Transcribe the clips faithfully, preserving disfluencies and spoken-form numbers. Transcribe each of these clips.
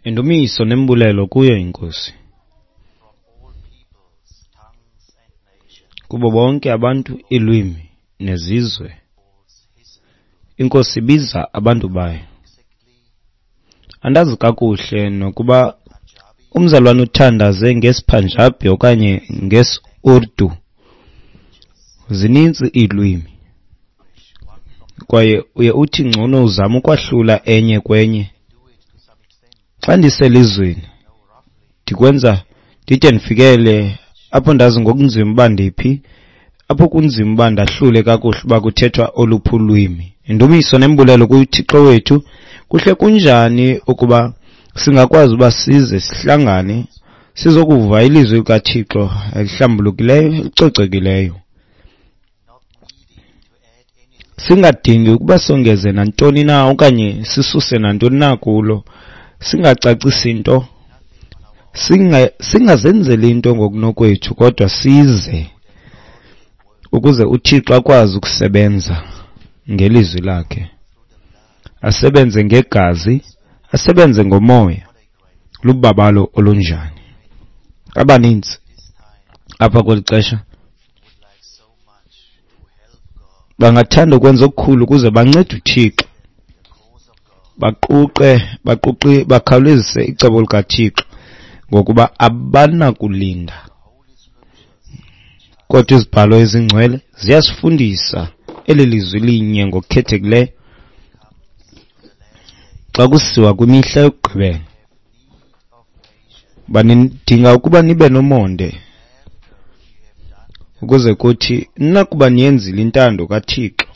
Indumiso nembulelo kuyo iNkosi. Kubo bonke abantu, iilwimi nezizwe, iNkosi ibiza abantu bayo. Andazi kakuhle nokuba umzalwane uthandaze ngesiPunjabi okanye ngesiUrdu. Zininzi iilwimi, kwaye uye uthi ngcono uzame ukwahlula enye kwenye. Xa ndiselizweni ndikwenza ndide ndifikele apho ndazi ngokunzima uba ndiphi, apho kunzima uba ndahlule kakuhle uba kuthethwa oluphi ulwimi. Indumiso nembulelo kuThixo wethu. Kuhle kunjani ukuba singakwazi uba size sihlangane sizokuva ilizwi likaThixo elihlambulukileyo, elicocekileyo, singadingi ukuba songeze nantoni na okanye sisuse nantoni na kulo, singacacisi nto, singa singazenzeli into ngokunokwethu, kodwa size ukuze uThixo akwazi ukusebenza ngelizwi lakhe, asebenze ngegazi, asebenze ngomoya. Lubabalo olunjani! Abaninzi apha kweli xesha bangathanda ukwenza okukhulu ukuze bancede uThixo, baquqe baquqi bakhawulezise icebo likaThixo, ngokuba abanakulinda. Kodwa izibhalo ezingcwele ziyasifundisa eli lizwi linye ngokukhethekileyo xa kusiwa kwimihla yokugqibela. Banidinga ukuba nibe nomonde, ukuze kuthi nakuba niyenzile intando kaThixo,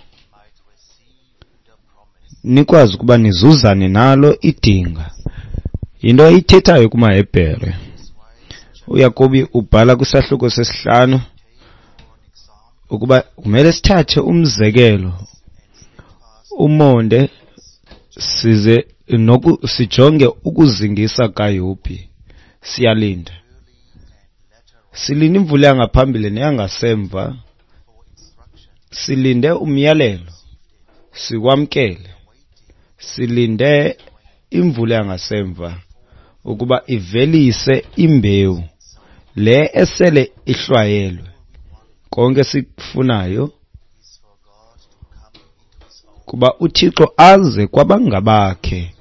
nikwazi ukuba nizuzane nalo idinga. Yinto ayithethayo kumaHebhere. UYakobi ubhala kwisahluko sesihlanu ukuba kumele sithathe umzekelo, umonde, size noku sijonge ukuzingisa kaYobhi. Siyalinda, silinde imvula yangaphambili neyangasemva, silinde umyalelo siwamkele, silinde imvula yangasemva ukuba ivelise imbewu le esele ihlwayelwe. Konke sikufunayo kuba uThixo aze kwabangabakhe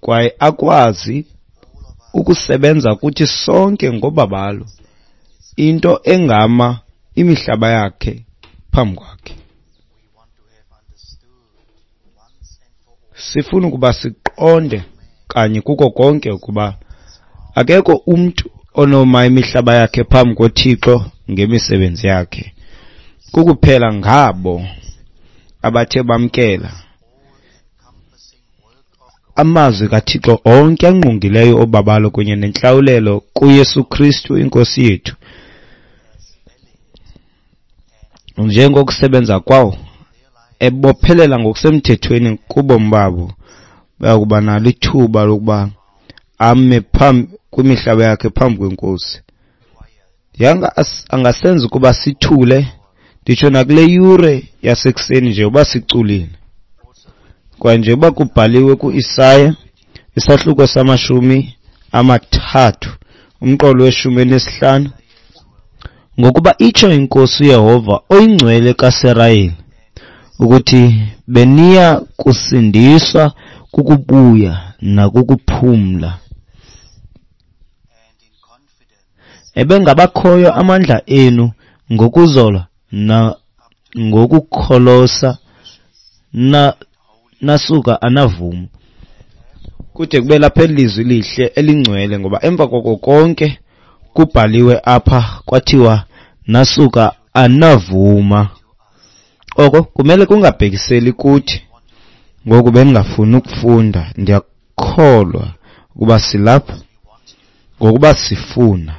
kwaye akwazi ukusebenza kuthi sonke ngobabalo, into engama imihlaba yakhe phambi kwakhe. Sifuna ukuba siqonde kanye kuko konke ukuba akekho umntu onoma imihlaba yakhe phambi koThixo ngemisebenzi yakhe. Kukuphela ngabo abathe bamkela amazwi kaThixo onke angqongileyo obabalo kunye nentlawulelo kuYesu Kristu iNkosi yethu, njengokusebenza kwawo ebophelela ngokusemthethweni kubomi babo, bayakuba nalo ithuba lokuba ame phambi kwimihlaba yakhe phambi kweNkosi. Yanga angasenza ukuba sithule, nditsho nakule yure yasekuseni nje uba siculile. Kwaye njengoba kubhaliwe ku-Isaya isahluko samashumi amathathu umqolo weshumi elinesihlanu, ngokuba itsho iNkosi uYehova oyingcwele kaSirayeli ukuthi beniya kusindiswa kukubuya nakukuphumla. Ebengabakhoyo amandla enu ngokuzola na ngokukholosa na nasuka anavuma. Kude kube lapha elizwi lihle elingcwele, ngoba emva koko konke kubhaliwe apha kwathiwa nasuka anavuma. Oko kumele kungabhekiseli kuthi. Ngoku bengingafuni ukufunda, ndiyakholwa ukuba silapha ngokuba sifuna.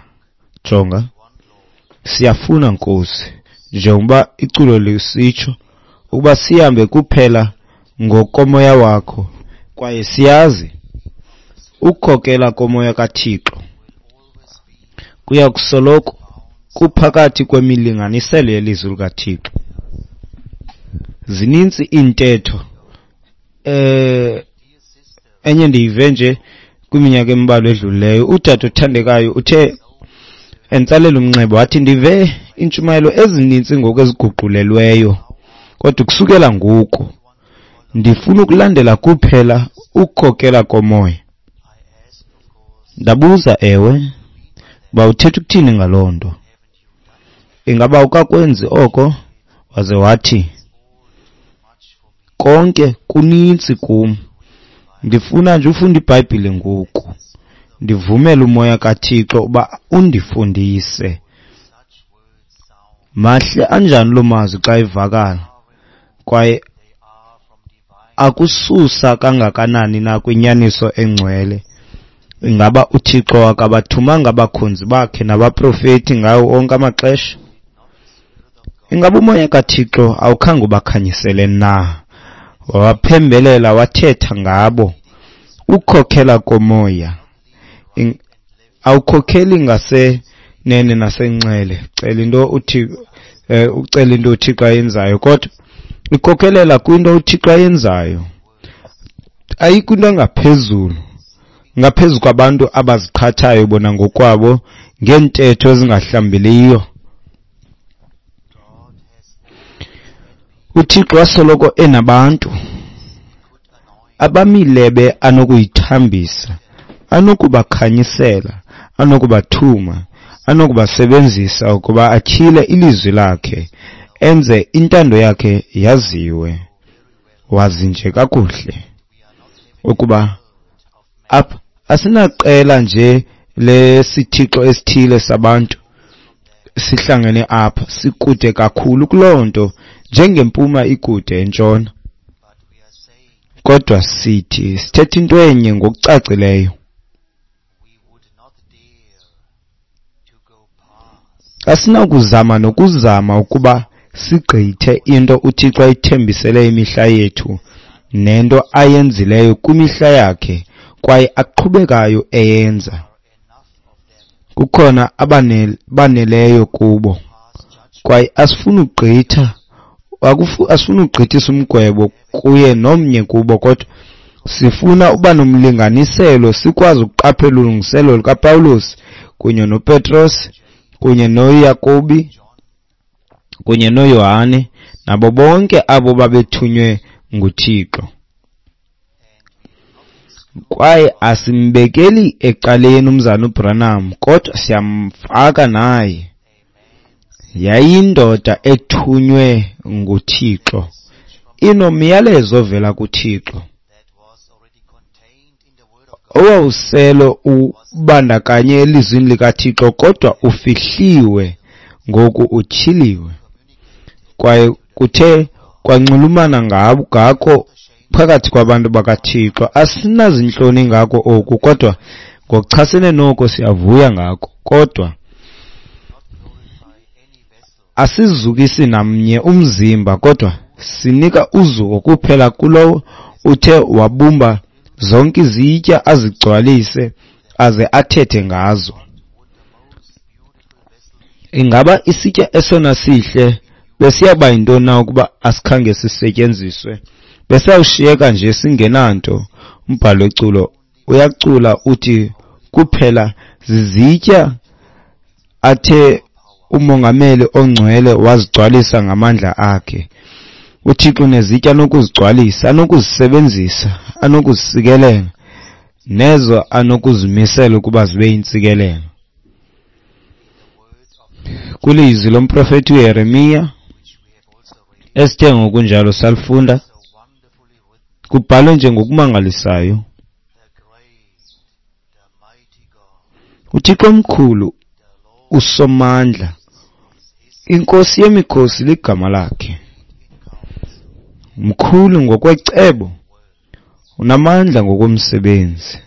Jonga, siyafuna Nkosi, njengoba iculo lisitsho ukuba sihambe kuphela ngokomoya wakho, kwaye siyazi ukukhokela komoya kaThixo kuya kusoloko kuphakathi kwemilinganiselo yelizwi likaThixo. Zininzi iintetho. Eh enye ndiyive nje Kwiminyaka embalwa edlulileyo, udade othandekayo uthe entsalela umnxeba wathi, ndive iintshumayelo ezininzi ngoku eziguqulelweyo, kodwa kusukela ngoku ndifuna ukulandela kuphela ukukhokela komoya. Ndabuza, ewe, uba uthetha ukuthini ngaloo nto? Ingaba awukakwenzi oko? Waze wathi, konke kuninzi kum. Ndifuna nje ufunda iBhayibhile ngoku. Ndivumele umoya kaThixo uba undifundise. Mahle anjani loo mazwi xa evakala, kwaye akususa kangakanani na kwinyaniso engcwele. Ingaba uThixo akabathumanga abakhonzi bakhe nabaprofeti ngawo onke amaxesha? Ingaba umoya kaThixo awukhange ubakhanyisele na? Wabaphembelela, wathetha ngabo. Ukukhokhela komoya awukhokheli ngasenene nasenxele, cela into uThixo, ucela into uThixo ayenzayo, kodwa ikhokhelela kwinto uThixo ayenzayo. Ayikho into engaphezulu ngaphezu kwabantu abaziqhathayo bona ngokwabo ngeentetho ezingahlambiliyo. UThixo wasoloko enabantu abamilebe anokuyithambisa, anokubakhanyisela, anokubathuma, anokubasebenzisa ukuba atyhile ilizwi lakhe, enze intando yakhe yaziwe. Wazi nje kakuhle ukuba apha asinaqela nje lesithixo esithile sabantu sihlangene apha, sikude kakhulu kuloo nto, njengempuma ikude entshona. Kodwa sithi sithetha into enye ngokucacileyo. Asinakuzama nokuzama ukuba sigqithe into uThixo ayithembisele imihla yethu nento ayenzileyo kwimihla yakhe kwaye aqhubekayo eyenza. Kukhona abaneleyo kubo, kwaye asifuni ugqitha, asifuni ugqithisa umgwebo kuye nomnye kubo, kodwa sifuna uba nomlinganiselo, sikwazi ukuqaphela ulungiselelo lukaPawulos kunye noPetros kunye noYakobi kunye noYohane nabo bonke abo babethunywe nguThixo. Kwaye asimbekeli ecaleni umzana uBranham, kodwa siyamfaka naye. Yayindoda ethunywe nguThixo, inomyalezo ovela kuThixo owawuselo ubandakanye elizwini likaThixo, kodwa ufihliwe ngoku utyhiliwe, kwaye kuthe kwanxulumana ngako phakathi kwabantu bakaThixo. Asinazintloni ngako oku, kodwa ngokuchasene noko siyavuya ngako. Kodwa asizukisi namnye umzimba, kodwa sinika uzuko kuphela kulowo uthe wabumba zonke izitya azigcwalise aze athethe ngazo. Ingaba isitya esona sihle besiyaba yintoni na ukuba asikhange sisetyenziswe? Besawushiyeka nje singenanto. Umbhalo weculo uyacula uthi kuphela zizitya athe umongameli ongcwele wazigcwalisa ngamandla akhe. UThixo unezitya anokuzigcwalisa, anokuzisebenzisa, anokuzisikelela, nezo anokuzimisela ukuba zibe yintsikelelo. Kwilizwi lomprofeti uYeremiya esithe ngokunjalo salifunda, kubhalwe nje ngokumangalisayo. UThixo omkhulu uSomandla, iNkosi yemikhosi ligama lakhe. Mkhulu ngokwecebo, unamandla ngokomsebenzi,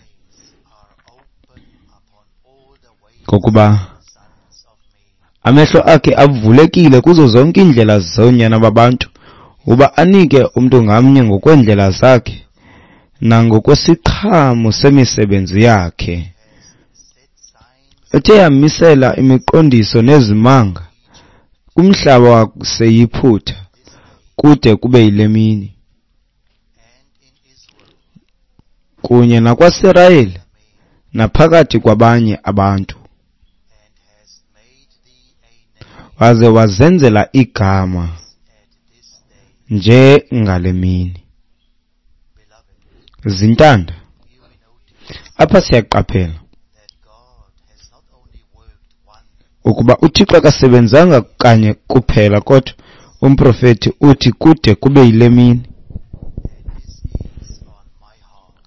ngokuba amehlo akhe avulekile kuzo zonke iindlela zoonyana babantu, uba anike umntu ngamnye ngokweendlela zakhe nangokwesiqhamo semisebenzi yakhe. Ethe yamisela imiqondiso nezimanga kumhlaba waseYiphutha kude kube yile mini, kunye nakwaSirayeli naphakathi kwabanye abantu, waze wazenzela igama njengale mini. Zintanda, apha siyaqaphela ukuba uThixo akasebenzanga kanye kuphela, kodwa umprofeti uthi kude kube yile mini.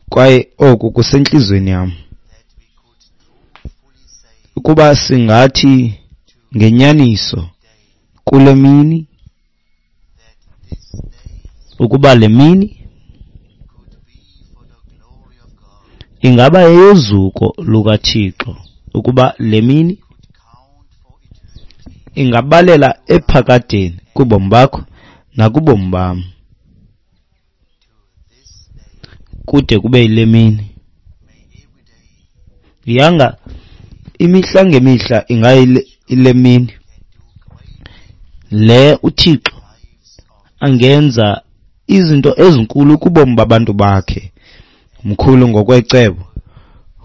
Kwaye oku kusentliziyweni yam, ukuba singathi ngenyaniso kule mini, ukuba le mini ingaba yeyozuko lukaThixo, ukuba le mini ingabalela ephakadeni kubomi bakho nakubomi bam kude kube yile mini. Yanga imihla ngemihla ingayile mini le uThixo angenza izinto ezinkulu kubomi babantu bakhe. Mkhulu ngokwecebo,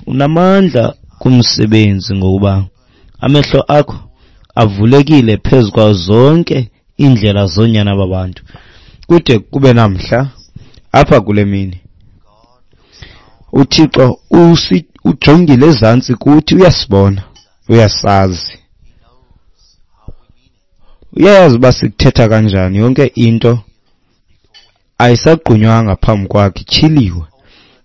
unamandla kumsebenzi, ngokuba amehlo akho avulekile phezu kwazo zonke iindlela zoonyana babantu. Kude kube namhla apha kule mini, uThixo ujongile ezantsi kuthi, uyasibona, uyasazi, uyayazi uba sikuthetha kanjani. Yonke into ayisagqunywanga phambi kwakhe, ityhiliwe.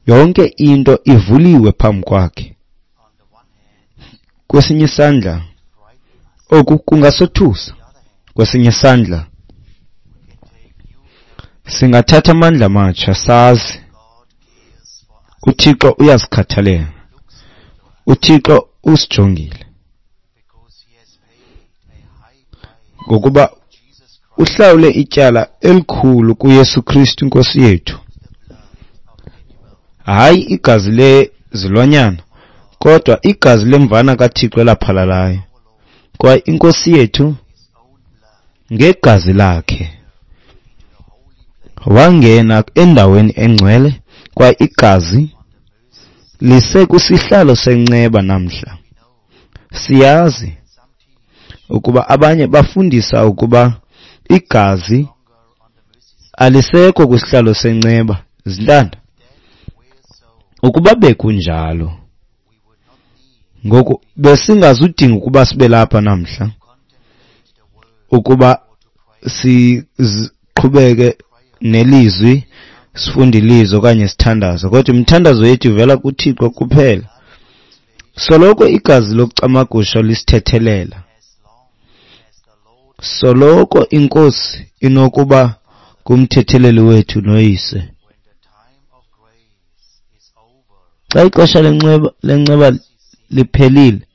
Yonke into ivuliwe phambi kwakhe. Kwesinye isandla oku kungasothusa, kwesinye isandla singathatha amandla amatsha sazi uThixo uyasikhathalela, uThixo usijongile, ngokuba uhlawule ityala elikhulu kuYesu Kristu iNkosi yethu. Hayi igazi lezilwanyana, kodwa igazi lemvana kaThixo elaphalalayo. Kwaye iNkosi yethu ngegazi lakhe wangena endaweni engcwele, kwaye igazi lisekusihlalo senceba namhla. Siyazi ukuba abanye bafundisa ukuba igazi alisekho kwisihlalo senceba. Zintanda, ukuba bekunjalo, ngoku besingazudinga ukuba sibe lapha namhla, ukuba siqhubeke nelizwi, sifunde ilizwi okanye sithandaze, kodwa imithandazo yethu ivela kuThixo kuphela. Soloko igazi lokucamagusha lisithethelela, soloko iNkosi inokuba ngumthetheleli wethu noyise. Xa ixesha lenceba lenceba liphelile,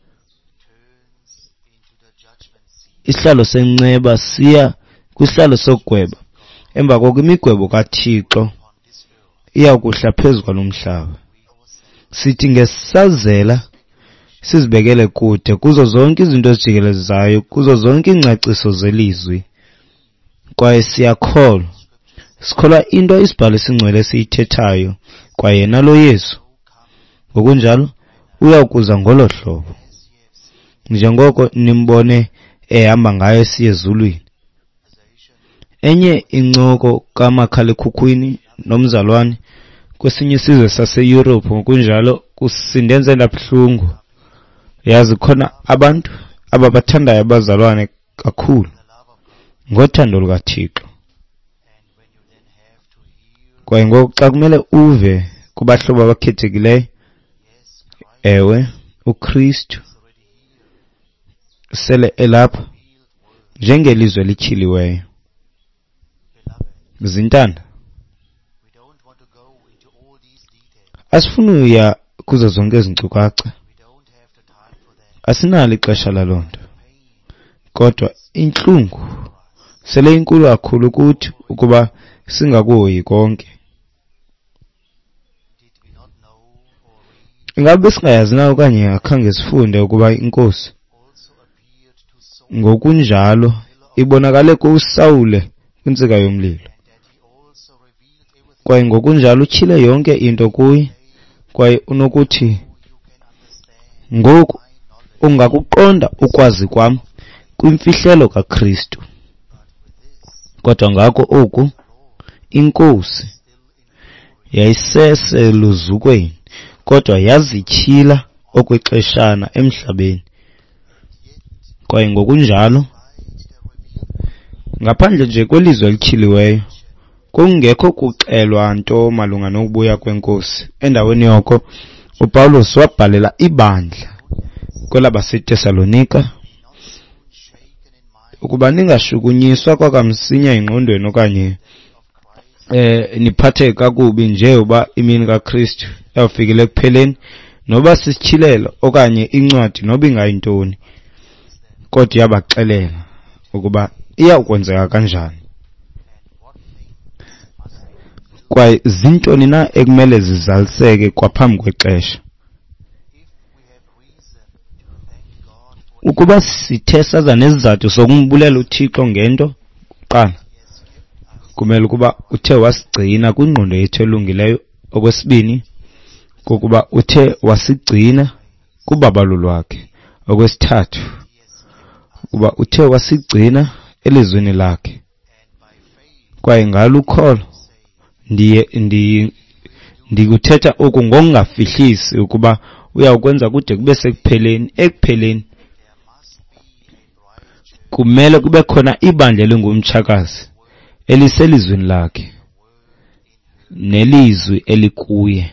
isihlalo senceba siya kwisihlalo sokugweba. Emva koko imigwebo kaThixo iya kuhla phezu kwalo mhlaba. Sithi ngesazela sizibekele kude kuzo zonke izinto ezijikelezayo, kuzo zonke iingcaciso zelizwi, kwaye siyakholwa, sikholwa into isibhalo esingcwele esiyithethayo, kwaye yena lo Yesu ngokunjalo uya kuza ngolo hlobo njengoko nimbone ehamba ngayo esiya ezulwini. Enye incoko kamakhalekhukhwini nomzalwane kwesinye isizwe saseYurophu ngokunjalo kusindenze ndabuhlungu. Yazi khona abantu ababathandayo abazalwane kakhulu ngothando lukaThixo, kwaye ngoku xa kumele uve kubahlobo abakhethekileyo, ewe, uKristu sele elapha njengelizwe elityhiliweyo. Zintanda, asifuni uya kuzo zonke ezi nkcukacha, asinalo ixesha laloo nto, kodwa intlungu sele inkulu kakhulu kuthi ukuba singakuhoyi konke. Ingabe besingayazi na okanye akhange sifunde ukuba iNkosi ngokunjalo ibonakale kuSawule kwintsika yomlilo, kwaye ngokunjalo utyhile yonke into kuye, kwaye unokuthi Ngoku ungakuqonda ukwazi kwam kwimfihlelo kaKristu. Kodwa ngako oku iNkosi yayiseseluzukweni, kodwa yazityhila okwexeshana emhlabeni. Kwaye ngokunjalo, ngaphandle nje kwelizwi elityhiliweyo, kungekho kuxelwa nto malunga nokubuya kweNkosi. Endaweni yoko, uPawulos wabhalela ibandla kwelabaseTesalonika ukuba ningashukunyiswa kwakamsinya engqondweni okanye eh niphatheke kakubi nje uba imini kaKristu yawufikile ekupheleni, noba sisityhilelo okanye incwadi noba ingayintoni, kodwa iyabaxelela ukuba iyawukwenzeka kanjani kwaye zintoni na ekumele zizaliseke kwaphambi kwexesha. Ukuba sithe saza nesizathu sokumbulela uThixo ngento, kuqala kumele ukuba uthe wasigcina kwingqondo yethu elungileyo. Okwesibini, kokuba uthe wasigcina kubabalo lwakhe. Okwesithathu, ukuba uthe wasigcina elizwini lakhe. Kwaye ngalo ukholo ndiye ndi ndikuthetha oku ngokungafihlisi ukuba uyawukwenza kude kube sekupheleni. Ekupheleni kumele kube khona ibandla elingumtshakazi eliselizwini lakhe nelizwi elikuye.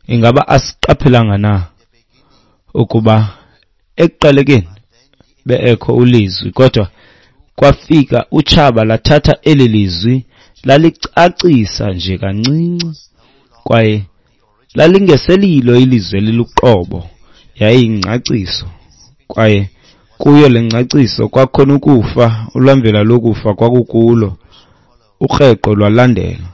Ingaba asiqaphelanga na ukuba ekuqalekeni beekho ulizwi, kodwa kwafika utshaba lathatha eli lizwi lalicacisa nje kancinci, kwaye lalingeselilo ilizwi eliluqobo, yayiyingcaciso. Kwaye kuyo le ngcaciso kwakhona ukufa, ulwamvila lokufa kwakukulo, ukreqo lwalandela.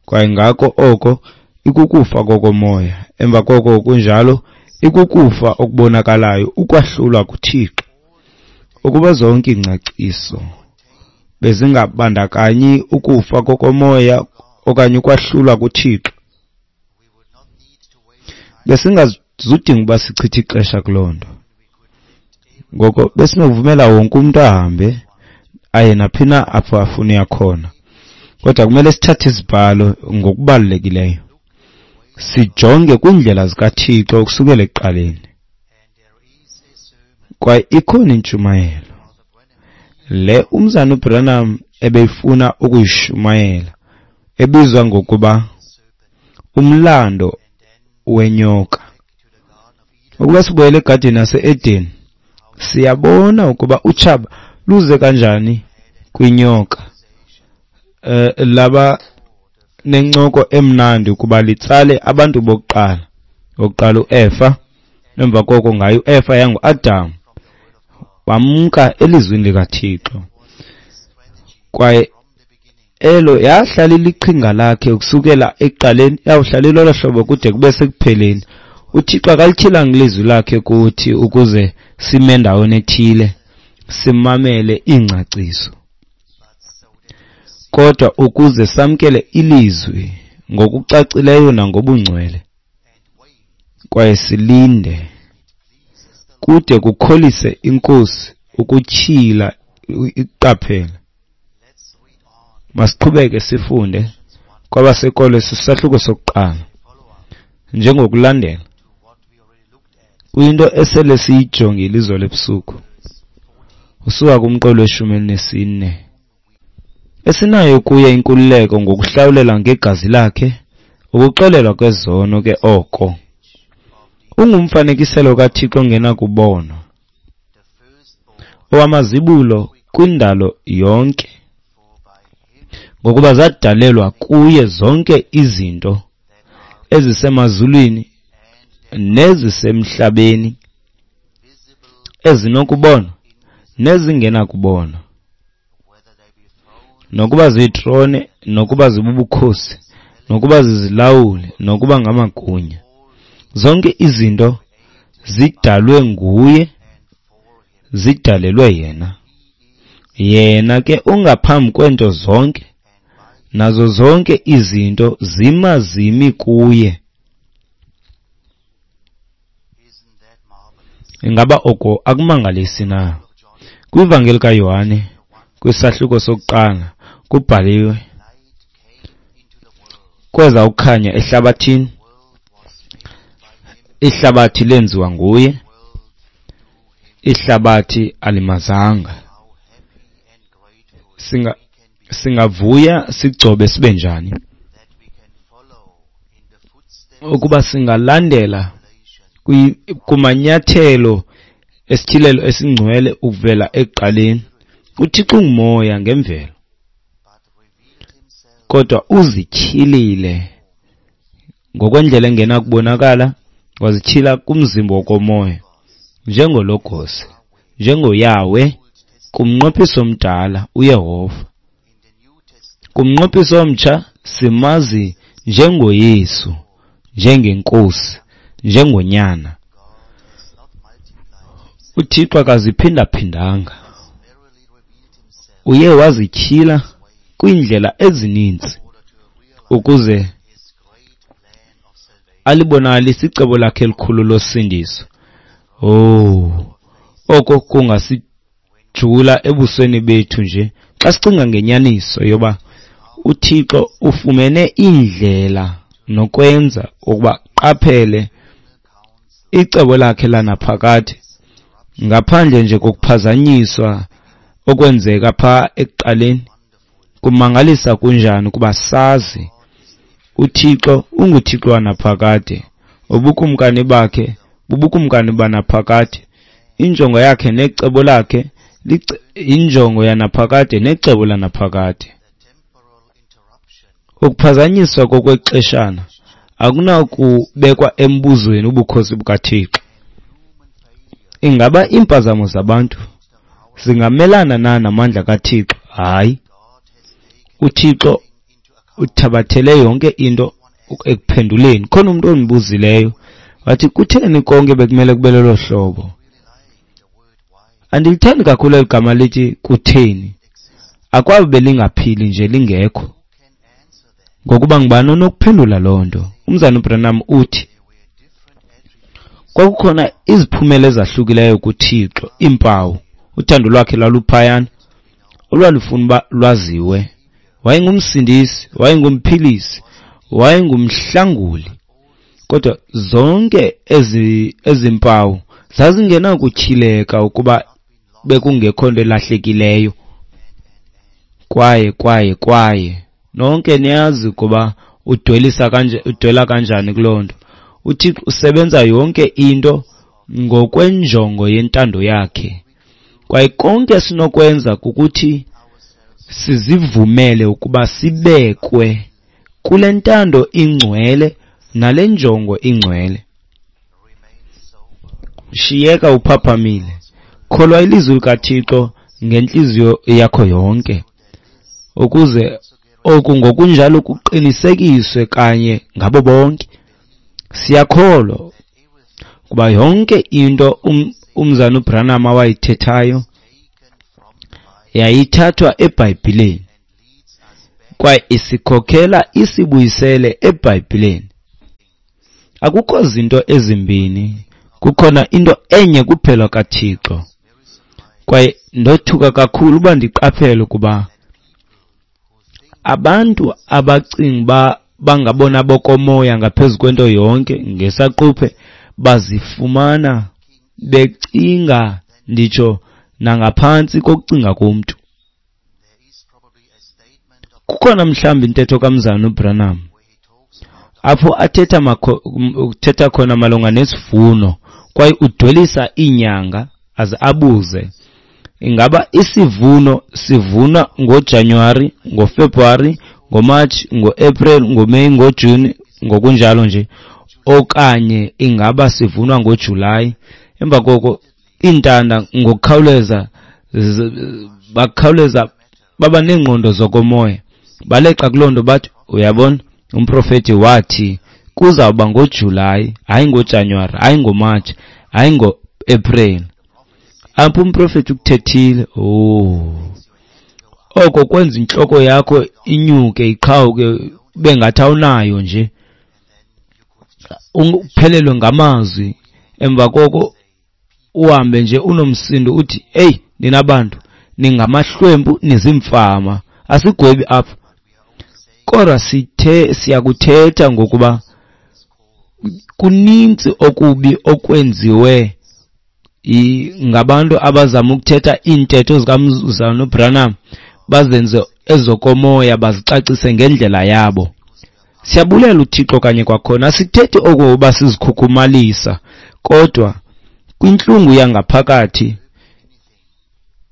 Kwaye ngako oko ikukufa kokomoya, emva koko kunjalo ikukufa okubonakalayo, ukwahlulwa kuThixo. Ukuba zonke iingcaciso bezingabandakanyi ukufa kokomoya okanye ukwahlulwa kuThixo, besingazudinga uba sichithe ixesha kuloo nto. Ngoko besinokuvumela wonke umntu ahambe aye naphi na apho afuna uya khona. Kodwa kumele sithathe izibhalo ngokubalulekileyo, sijonge kwiindlela zikaThixo ukusukela ekuqaleni. Kwaye ikhona intshumayelo le umzana uBranham ebeyifuna ukuyishumayela, ebizwa ngokuba umlando wenyoka. Ukuba sibuyele egadini yase-Eden, siyabona ukuba utshaba luze kanjani kwinyoka. Eh laba nencoko emnandi ukuba litsale abantu bokuqala. Okokuqala uEfa, emva koko ngayo uEfa yanguAdam, bamka elizwini likaThixo. Kwaye elo yahlala iliqhinga lakhe ukusukela ekuqaleni, yawuhlala ilolo hlobo kude kube sekupheleni. UThixo akalityhilanga ilizwi lakhe kuthi ukuze sime endaweni ethile simamele iingcaciso, kodwa ukuze samkele ilizwi ngokucacileyo nangobungcwele, kwaye silinde kude kukholise iNkosi ukutyhila iqaphela. Masiqhubeke sifunde kwabaseKolose isahluko sokuqala njengokulandela kwinto esele siyijongile izolo ebusuku, usuka kumqolo weshumi elinesine. Esinayo kuye inkululeko ngokuhlawulela ngegazi lakhe ukuxolelwa kwezono ke oko. Ungumfanekiselo kaThixo ongenakubonwa, owamazibulo kwindalo yonke, ngokuba zadalelwa kuye zonke izinto ezisemazulwini nezisemhlabeni, ezinokubonwa nezingenakubonwa, nokuba ziitrone, nokuba zibubukhosi, nokuba zizilawuli, nokuba ngamagunya. Zonke izinto zidalwe nguye, zidalelwe yena. Yena ke ungaphambi kwento zonke, nazo zonke izinto zima zimi kuye. Ingaba oko akumangalisi na? KwiVangeli kaYohane, kwisahluko sokuqala, kubhaliwe, kweza ukukhanya ehlabathini, ihlabathi lenziwa nguye, ihlabathi alimazanga. Singa singavuya sigcobe sibe njani ukuba singalandela kumanyathelo esityhilelo esingcwele ukuvela ekuqaleni. UThixo ungumoya ngemvelo, kodwa uzityhilile ngokwendlela engenakubonakala, wazityhila kumzimba wokomoya njengoLogos, njengoYahweh, kumnqophiso omdala uYehova. Kumnqophiso omtsha simazi njengoYesu, njengeNkosi, njengoNyana. UThixo akaziphindaphindanga, uye wazityhila kwiindlela ezininzi ukuze alibonakalise icebo lakhe elikhulu losindiso. Oh, oko kungasijula ebusweni bethu nje xa sicinga ngenyaniso yoba uThixo ufumene iindlela nokwenza ukuba qaphele icebo lakhe lanaphakade ngaphandle nje kokuphazanyiswa okwenzeka pha ekuqaleni. Kumangalisa kunjani ukuba sazi uThixo unguThixo wanaphakade, ubukumkani bakhe bubukumkani banaphakade, injongo yakhe necebo lakhe injongo yanaphakade necebo lanaphakade. Ukuphazanyiswa kokwexeshana akunakubekwa embuzweni ubukhosi bukaThixo. Ingaba iimpazamo zabantu zingamelana na namandla kaThixo? Hayi, uThixo uthabathele yonke into ekuphenduleni. Khona umuntu ondibuzileyo wathi, kutheni konke bekumele kube lolo hlobo? Andilithandi kakhulu eli gama lithi kutheni. Akwabe belingaphili nje lingekho, ngokuba ngubani onokuphendula loo nto? Umzana uBranham uthi kwakukhona iziphumelo ezahlukileyo kuThixo, iimpawu. Uthando lwakhe lwaluphayana olwalufuna uba lwaziwe. Wayengumsindisi, wayengumphilisi, wayengumhlanguli, kodwa zonke ezi ezimpawu zazingenakutyhileka ukuba bekungekho nto elahlekileyo. Kwaye kwaye kwaye nonke niyazi ukuba udwelisa kanje udwela kanjani kuloo nto. UThixo usebenza yonke into ngokwenjongo yentando yakhe, kwaye konke sinokwenza kukuthi sizivumele ukuba sibekwe kule ntando ingcwele nale njongo ingcwele. Shiyeka uphaphamile, kholwa ilizwi likaThixo ngentliziyo yakho yonke, ukuze oku ngokunjalo kuqinisekiswe kanye ngabo bonke. Siyakholwa kuba yonke into um, umzana uBranham awayithethayo yayithathwa eBhayibhileni, kwaye isikhokhela isibuyisele eBhayibhileni. Akukho zinto ezimbini, kukhona into enye kuphela kaThixo. Kwaye ndothuka kakhulu uba ndiqaphele ukuba abantu abacinga uba bangabona bokomoya ngaphezu kwento yonke ngesaquphe bazifumana becinga nditsho nangaphantsi kokucinga komntu. Kukhona mhlawumbi intetho kaMzana uBranham apho athetha uthetha khona malunga nesivuno, kwaye udwelisa iinyanga aze abuze ingaba isivuno sivunwa ngoJanuwari, ngoFebruwari, ngoMatshi, ngoApril, ngoMeyi, ngoJuni, ngokunjalo nje, okanye ingaba sivunwa ngoJulayi. Emva koko iintanda ngokukhawuleza bakhawuleza baba neengqondo zokomoya, baleqa kuloo nto bathi, uyabona, umprofeti wathi kuzawuba ngoJulayi, hayi ngoJanuwari, hayi ngoMatshi, hayi ngoApril. Apho umprofeti ukuthethile, oh, oko kwenza intloko yakho inyuke iqhawuke ube ngathi awunayo nje, uphelelwe ngamazwi. Emva koko uhambe nje unomsindo uthi, "Hey, nina bantu ningamahlwempu, nizimfama." Asigwebi apha, kodwa sithe siyakuthetha ngokuba kuninzi okubi okwenziwe ngabantu abazama ukuthetha iintetho zikaMzalwana uBranham, bazenze ezokomoya, bazicacise ngendlela yabo. Siyabulela uThixo kanye kwakhona. Asithethi okokuba sizikhukhumalisa, kodwa kwintlungu yangaphakathi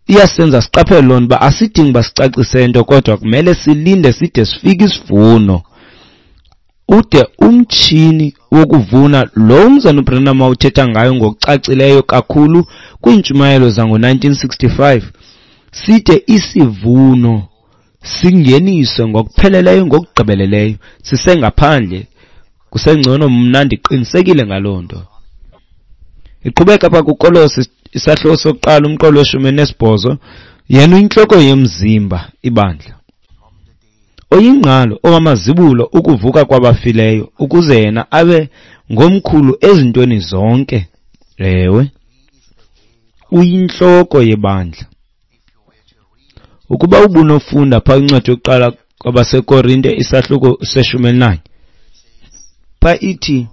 iyasenza siqaphele loo nto uba asidingi uba sicacise nto, kodwa kumele silinde side sifike isivuno. Ude umtshini wokuvuna lo Mzalwana uBranham awuthetha ngayo ngokucacileyo kakhulu kwiintshumayelo zango-nineteen sixty-five, side isivuno singeniswe ngokupheleleyo, ngokugqibeleleyo, sisengaphandle. Kusengcono, mna ndiqinisekile ngaloo nto. Iqhubeka apha kuKolose isahluko sokuqala umqolo weshumi nesibhozo, yena uyintloko yomzimba ibandla, oyingqalo owamazibulo ukuvuka kwabafileyo, ukuze yena abe ngomkhulu ezintweni zonke. Ewe, uyintloko yebandla. Ukuba ubunofunda phaa incwadi yokuqala kwabaseKorinte isahluko seshumi elinanye, phaa ithi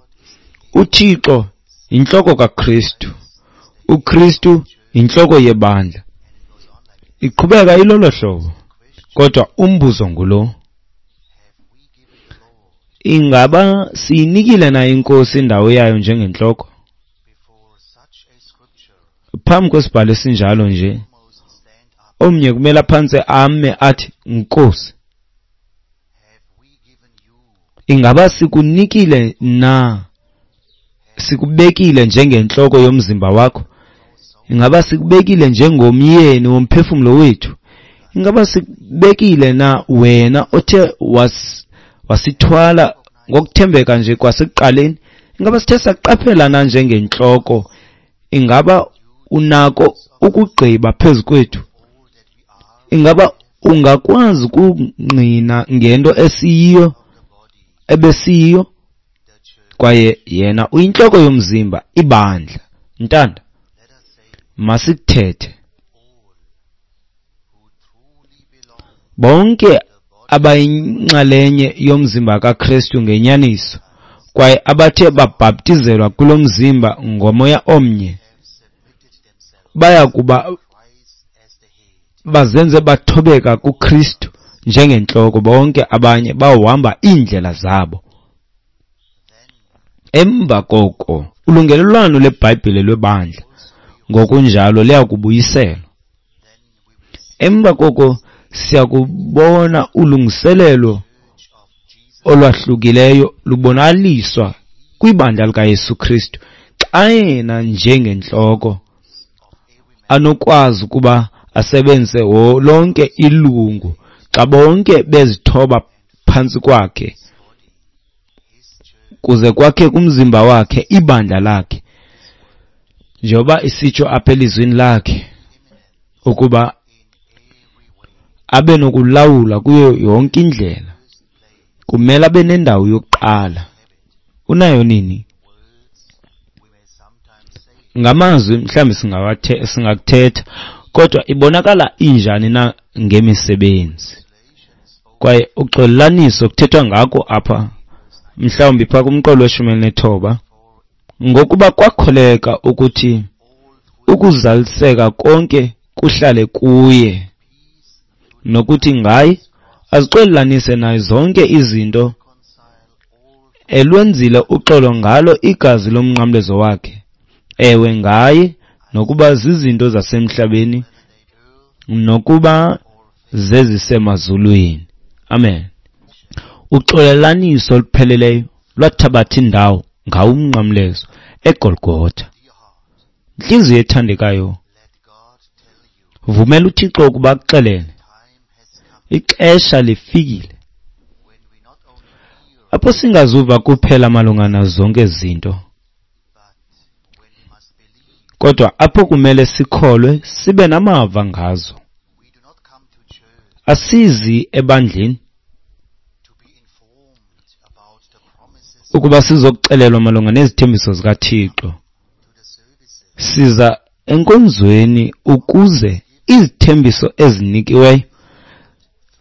uThixo yintloko kaKristu, uKristu yintloko yebandla. Iqhubeka ilolo hlobo, kodwa umbuzo ngulo: ingaba siyinikile na iNkosi indawo yayo njengentloko? Phambi kwesibhalo esinjalo nje, omnye kumele aphantse ame athi, "Nkosi, ingaba sikunikile na, sikubekile njengentloko yomzimba wakho? Ingaba sikubekile njengomyeni womphefumlo wethu? Ingaba sikubekile na wena othe was wasithwala ngokuthembeka nje kwasekuqaleni? Ingaba sithe saqaphela na njengentloko? Ingaba unako ukugqiba phezu kwethu? Ingaba ungakwazi ukungqina ngento esiyiyo ebesiyiyo?" Kwaye yena uyintloko yomzimba ibandla. Ntanda, masithethe. Bonke abayinxalenye yomzimba kaKristu ngenyaniso, kwaye abathe babhaptizelwa kulo mzimba ngomoya omnye, baya kuba bazenze bathobeka kuKristu njengentloko. Bonke abanye bawuhamba iindlela zabo. Emva koko ulungelelwano lweBhayibhile lwebandla ngokunjalo liyakubuyiselwa. Emva koko siyakubona ulungiselelo olwahlukileyo lubonakaliswa kwibandla likaYesu Kristu, xa yena njengentloko anokwazi ukuba asebenzise lonke ilungu, xa bonke bezithoba phantsi kwakhe, kuze kwakhe kumzimba wakhe ibandla lakhe, njengoba isitsho apha elizwini lakhe ukuba abe nokulawula kuyo yonke indlela. Kumele abe nendawo yokuqala. Unayo nini? Ngamazwi mhlawumbi singawathe singakuthetha, kodwa ibonakala injani na ngemisebenzi? Kwaye uxolelaniso kuthethwa ngako apha, mhlawumbi phaa kumqolo weshumi elinethoba, ngokuba kwakholeka ukuthi ukuzaliseka konke kuhlale kuye, nokuthi ngaye azixolelanise naye zonke izinto, elwenzile uxolo ngalo igazi lomnqamlezo wakhe. Ewe, ngaye, nokuba zizinto zasemhlabeni nokuba zezisemazulwini. Amen. Uxolelaniso olupheleleyo lwathabatha indawo ngawo umnqamlezo eGolgotha. Intliziyo ethandekayo, vumela uThixo ukuba akuxelele, ixesha lifikile apho singazuva kuphela malunga nazo zonke izinto, kodwa apho kumele sikholwe sibe namava ngazo. Asizi ebandleni ukuba sizokuxelelwa malunga nezithembiso zikaThixo. Siza enkonzweni ukuze izithembiso ezinikiweyo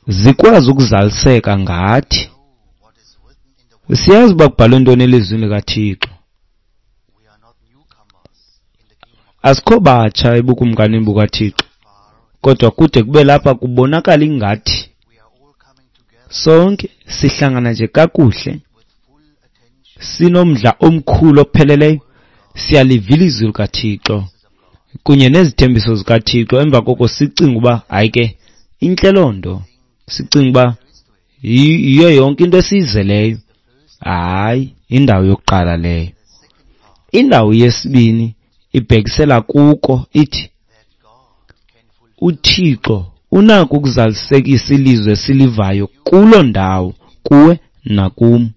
zikwazi ukuzaliseka ngathi. Siyazi uba kubhalwe ntoni elizwini likaThixo. Asikho batsha ebukumkanini bukaThixo, kodwa kude kube lapha kubonakala ingathi sonke sihlangana nje kakuhle, sinomdla omkhulu opheleleyo, siyaliva ilizwi likaThixo kunye nezithembiso zikaThixo. Emva koko sicinga uba hayi ke intle loo nto, sicinga uba yiyo yonke into esiyizeleyo. Hayi, indawo yokuqala leyo. Indawo yesibini ibhekisela kuko, ithi uThixo unako ukuzalisekisa ilizwi esilivayo kuloo ndawo, kuwe nakum.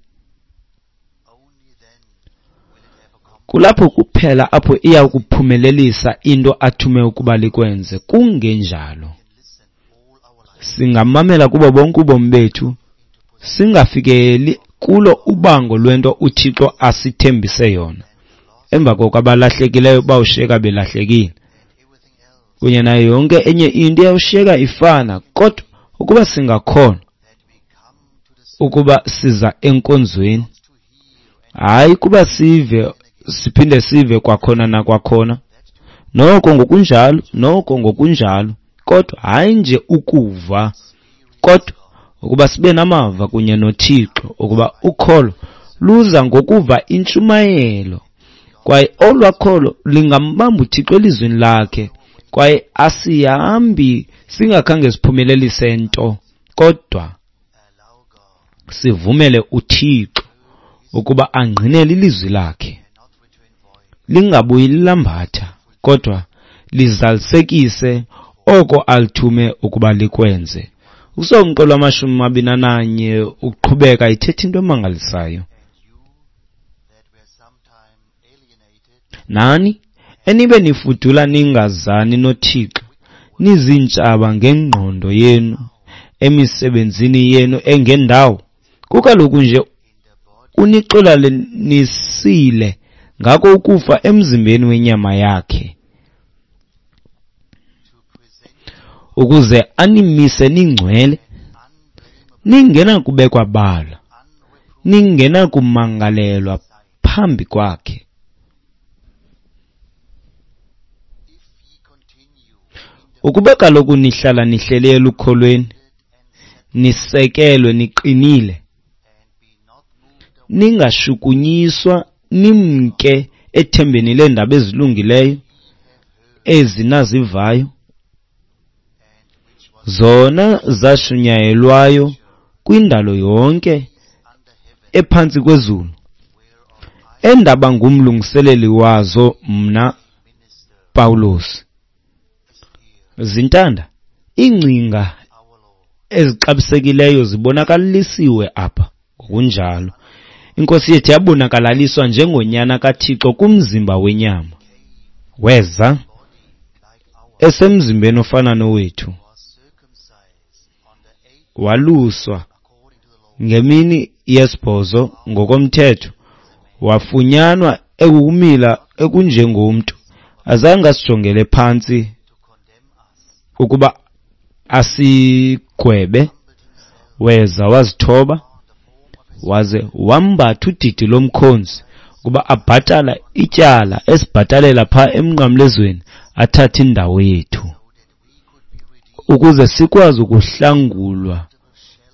Kulapho kuphela apho iya kuphumelelisa into athume ukuba likwenze. Kungenjalo singamamela kubo bonke ubomi bethu, singafikeli kulo ubango lwento uThixo asithembise yona. Emva koko abalahlekileyo bawushiyeka belahlekile, kunye nayo yonke enye into iyawushiyeka ifana. Kodwa ukuba singakholwa ukuba siza enkonzweni, hayi kuba sive siphinde sive kwakhona nakwakhona, noko ngokunjalo noko ngokunjalo, kodwa hayi nje ukuva, kodwa ukuba sibe namava kunye noThixo, ukuba ukholo luza ngokuva intshumayelo, kwaye olwakholo lingambamba uThixo elizwini lakhe, kwaye asihambi singakhange siphumelelise nto, kodwa sivumele uThixo ukuba angqinele ilizwi lakhe, lingabuyi lilambatha, kodwa lizalisekise oko alithume ukuba likwenze. Usomqolo wamashumi amabini ananye uqhubeka ithetha into emangalisayo. Nani enibe nifudula ningazani noThixo, nizintshaba ngengqondo yenu emisebenzini yenu engendawo, kukaloku nje unixolelanisile ngako ukufa emzimbeni wenyama yakhe, ukuze animise ningcwele, ningenakubekwa bala, ningenakumangalelwa phambi kwakhe. Ukuba kaloku nihlala nihleli elukholweni, nisekelwe niqinile, ningashukunyiswa nimke ethembeni leendaba ezilungileyo ezinazivayo, zona zashunyayelwayo kwindalo yonke ephantsi kwezulu, endaba ngumlungiseleli wazo mna Pawulos. Zintanda, iingcinga ezixabisekileyo zibonakalisiwe apha. Ngokunjalo iNkosi yethu yabonakalaliswa njengonyana kaThixo kumzimba wenyama, weza esemzimbeni ofana nowethu, waluswa ngemini yesibhozo ngokomthetho, wafunyanwa ekukumila ekunjengomntu, azange asijongele phantsi ukuba asigwebe, weza wazithoba, waze wambatha udidi lomkhonzi ukuba abhatala ityala esibhatalela pha emnqamlezweni, athathe indawo yethu ukuze sikwazi ukuhlangulwa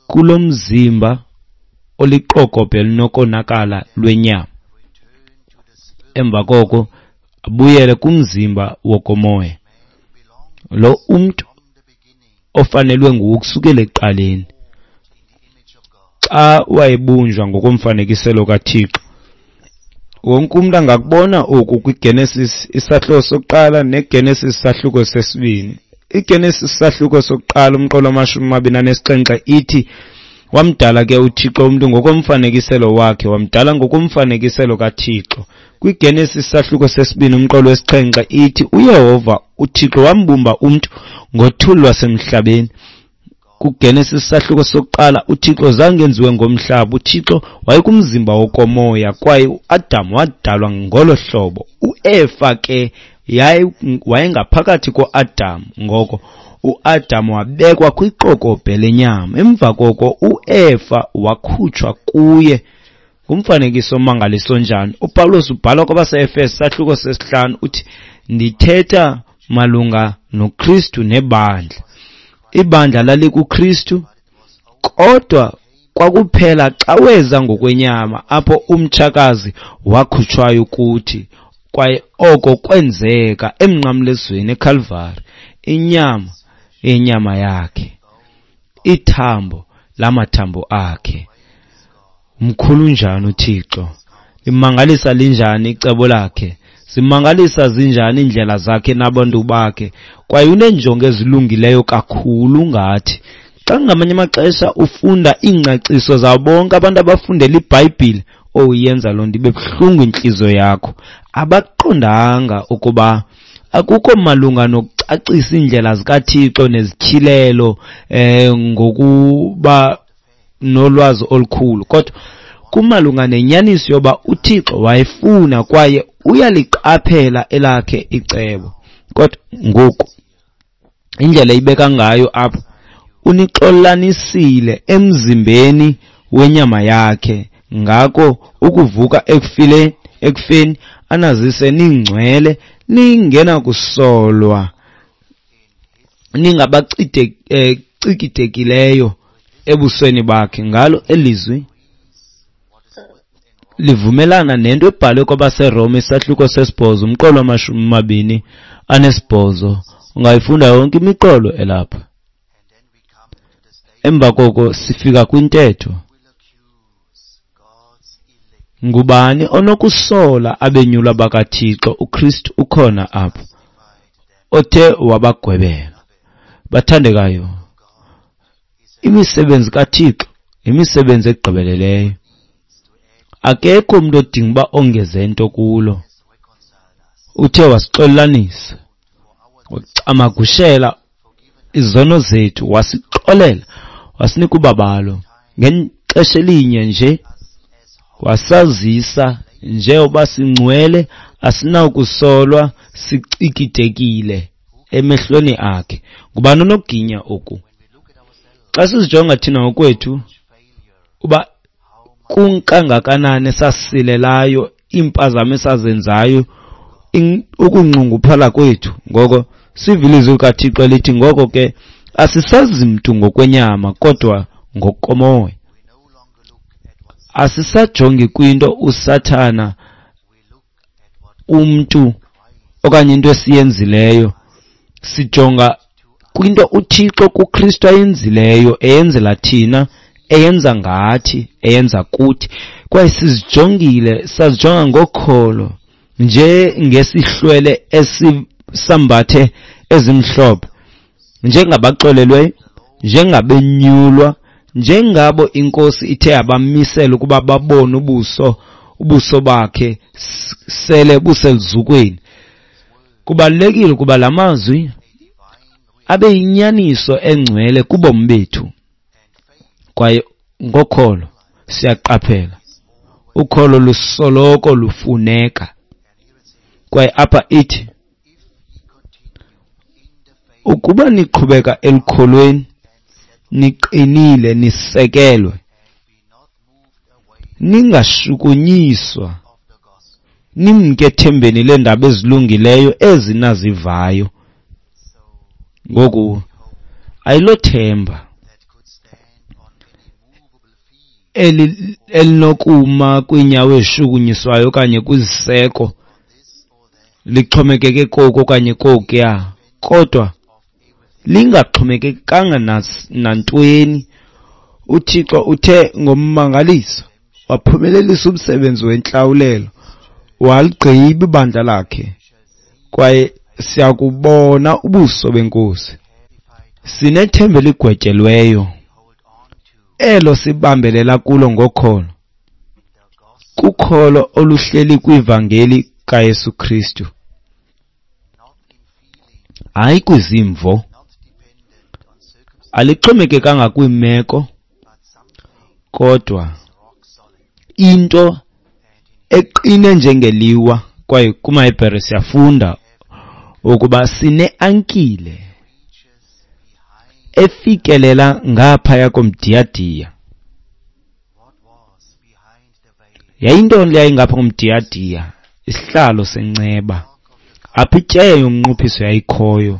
kulo mzimba oliqokobhe elinokonakala lwenyama. Emva koko abuyele kumzimba wokomoya, lo umntu ofanelwe nguwo kusukela ekuqaleni, xa wayebunjwa ngokomfanekiselo kaThixo. Wonke umuntu angakubona oku kwiGenesis isahluko sokuqala neGenesis isahluko sesibini. IGenesis isahluko sokuqala umqolo wamashumi amabini anesixhenxe ithi, wamdala ke uThixo umuntu ngokomfanekiselo wakhe, wamdala ngokomfanekiselo kaThixo. KwiGenesis isahluko sesibini umqolo wesixhenxe ithi, uYehova uThixo wambumba umuntu ngothuli lwasemhlabeni. KuGenesis isahluko sokuqala uThixo zange enziwe ngomhlaba, uThixo wayekumzimba wokomoya, kwaye uAdam wadalwa ngolo hlobo. uEfa ke Yaye wayengaphakathi koAdam, ngoko uAdam wabekwa kwiqokobhe lenyama. Emva koko uEfa wakhutshwa kuye. Ngumfanekiso omangaliso njani? UPawulos ubhala kwabaseEfeso sahluko sesihlanu uthi, ndithetha malunga noKristu nebandla. Ibandla lalikuKristu, kodwa kwakuphela xa weza ngokwenyama apho umtshakazi wakhutshwayo kuthi, kwaye oko kwenzeka emnqamlezweni eKalvari. Inyama yenyama yakhe, ithambo lamathambo akhe. Mkhulu njani uThixo! Limangalisa linjani icebo lakhe! Zimangalisa zinjani iindlela zakhe nabantu bakhe! Kwaye uneenjongo ezilungileyo kakhulu ngathi. Xa ngamanye amaxesha ufunda iingcaciso zabo bonke abantu abafundela iBhayibhile, oyenza loo nto ibe buhlungu intliziyo yakho. Abaqondanga ukuba akukho malunga nokucacisa iindlela zikaThixo nezityhilelo eh ngokuba nolwazi olukhulu, kodwa kumalunga nenyaniso yoba uThixo wayefuna kwaye uyaliqaphela elakhe icebo. Kodwa ngoku indlela ibeka ngayo apha, unixolanisile emzimbeni wenyama yakhe, ngako ukuvuka ekufile ekufeni anazise ningcwele, ningenakusolwa, ningabacikitekileyo ebusweni bakhe. Ngalo elizwi livumelana nento ebhalwe kwabaseRoma isahluko sesibhozo umqolo wamashumi amabini anesibhozo. Ungayifunda yonke imiqolo elapha. Emva koko sifika kwintetho. Ngubani onokusola abenyulwa bakaThixo? uKristu ukhona apho, othe wabagwebela. Bathandekayo, imisebenzi kaThixo imisebenzi egqibeleleyo. Akekho umuntu odinga uba ongeze nto kulo. Uthe wasixolelanisa, wacamagushela izono zethu, wasixolela, wasinika ubabalo. Ngexesha elinye nje wasazisa njengoba singcwele, asinawukusolwa, sicikitekile emehlweni akhe. Ngubani onokuginya oku? Xa sizijonga thina ngokwethu uba kunkangakanani esasilelayo, iimpazamo esazenzayo, ukunxunguphala kwethu, ngoko sivile izwi likaThixo elithi, ngoko ke asisazi mntu ngokwenyama kodwa ngokomoya. Asisajongi kwinto uSathana, umntu okanye into esiyenzileyo, sijonga kwinto uThixo kuKristu ayenzileyo, eyenzela thina, eyenza ngathi, eyenza kuthi. Kwaye sizijongile, sazijonga ngokholo nje ngesihlwele esisambathe ezimhlophe, njengabaxolelweyo, njengabenyulwa, njengabo inkosi ithe abamisela ukuba babone ubuso ubuso bakhe sele buseluzukweni. Kubalulekile ukuba la mazwi abe yinyaniso engcwele kubomi bethu. Kwaye ngokholo siyaqaphela, ukholo lusoloko lufuneka. Kwaye apha ithi, ukuba niqhubeka elukholweni, niqinile, nisekelwe, ningashukunyiswa, nimke ethembeni leendaba ezilungileyo ezinazivayo. Ngoku ayilothemba eli elinokuma kwiinyawo ezishukunyiswayo okanye kwiziseko, lixhomekeke koku okanye kokuya, kodwa lingaxhomekekanga nantweni. uThixo uthe ngommangaliso waphumelelisa umsebenzi wentlawulelo, waligqiba ibandla lakhe, kwaye siyakubona ubuso benkosi. Sinethemba eligwetyelweyo elo sibambelela kulo ngokholo, kukholo oluhleli kwivangeli kaYesu Kristu, hayi kwizimvo. Alixhomekekanga kwiimeko, kodwa into eqine njengeliwa. Kwaye kumaHebhere siyafunda ukuba sine-ankile efikelela ngaphaya komdiyadiya. Yayintoni le yayingapha komdiyadiya? Isihlalo senceba, apho ityeya yomnqophiso yayikhoyo,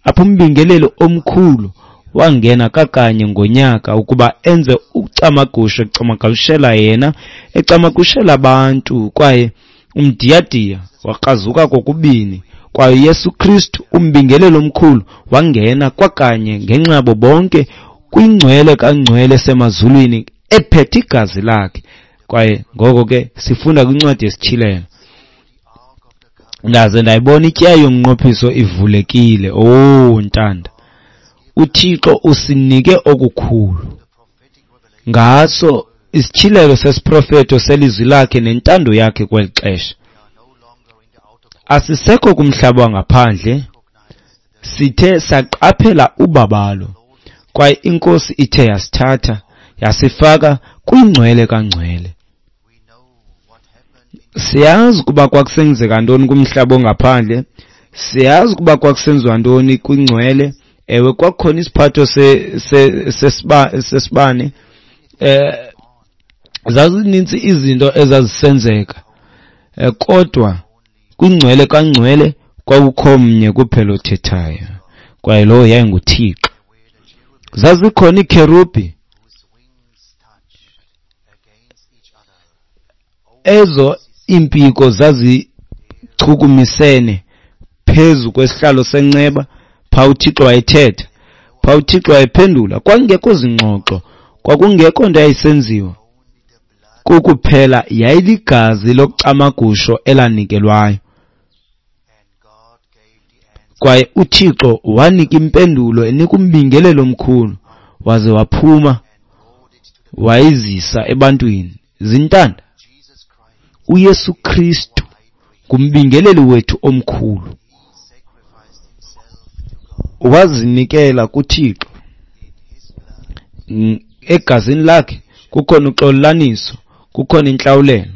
apho umbingeleli omkhulu wangena kakanye ngonyaka ukuba enze ucamagusho, ecamagushela yena, ecamagushela abantu. Kwaye umdiyadiya wakrazuka kokubini. Kwaye uYesu Kristu umbingeleli omkhulu wangena kwakanye ngenxa yabo bonke kwingcwele kangcwele semazulwini ephethe igazi lakhe. Kwaye ngoko ke sifunda kwincwadi yesiTyhilelo, ndaze ndayibona ityeya yomnqophiso ivulekile. Oh ntanda, uThixo usinike okukhulu ngaso isityhilelo sesiprofeto selizwi lakhe nentando yakhe kweli xesha. Asisekho kumhlaba wangaphandle, sithe saqaphela ubabalo, kwaye iNkosi ithe yasithatha yasifaka kwingcwele kangcwele. Siyazi ukuba kwakusenzeka ntoni kumhlaba ongaphandle, siyazi ukuba kwakusenziwa ntoni kwingcwele. Ewe, kwakukhona isiphatho sesibane, eh zazininzi izinto ezazisenzeka, kodwa kwingcwele kangcwele kwakukho mnye kuphela othethayo, kwaye lowo yayinguThixo. Zazikhona iikherubhi ezo iimpiko zazichukumisene phezu kwesihlalo senceba. Pha uThixo wayethetha, pha uThixo wayephendula. Kwakungekho zingxoxo, kwakungekho nto yayisenziwa, kukuphela yayiligazi lokucamagusho elanikelwayo. Kwaye uThixo wanika impendulo enika umbingelelo omkhulu, waze waphuma wayizisa ebantwini. Zintanda, uYesu Kristu ngumbingeleli wethu omkhulu, wazinikela kuThixo. Egazini lakhe kukhona uxolelaniso, kukhona intlawulelo.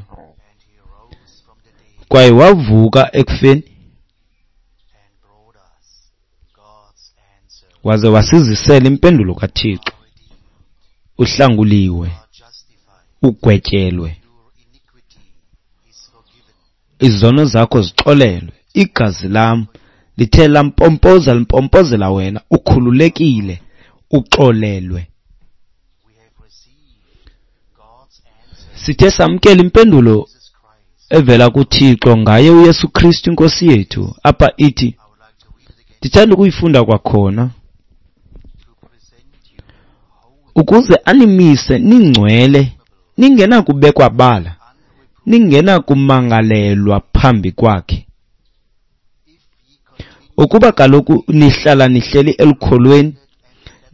Kwaye wavuka ekufeni waze wasizisela impendulo kaThixo. Uhlanguliwe, ugwetyelwe, izono zakho zixolelwe, igazi lam lithe lampompoza limpompozela wena, ukhululekile, uxolelwe. Sithe samkela impendulo evela kuThixo ngaye uYesu Kristu iNkosi yethu. Apha ithi, ndithanda ukuyifunda kwakhona, ukuze animise ningcwele, ningenakubekwa bala, ningenakumangalelwa phambi kwakhe. Ukuba kaloku nihlala nihleli elukholweni,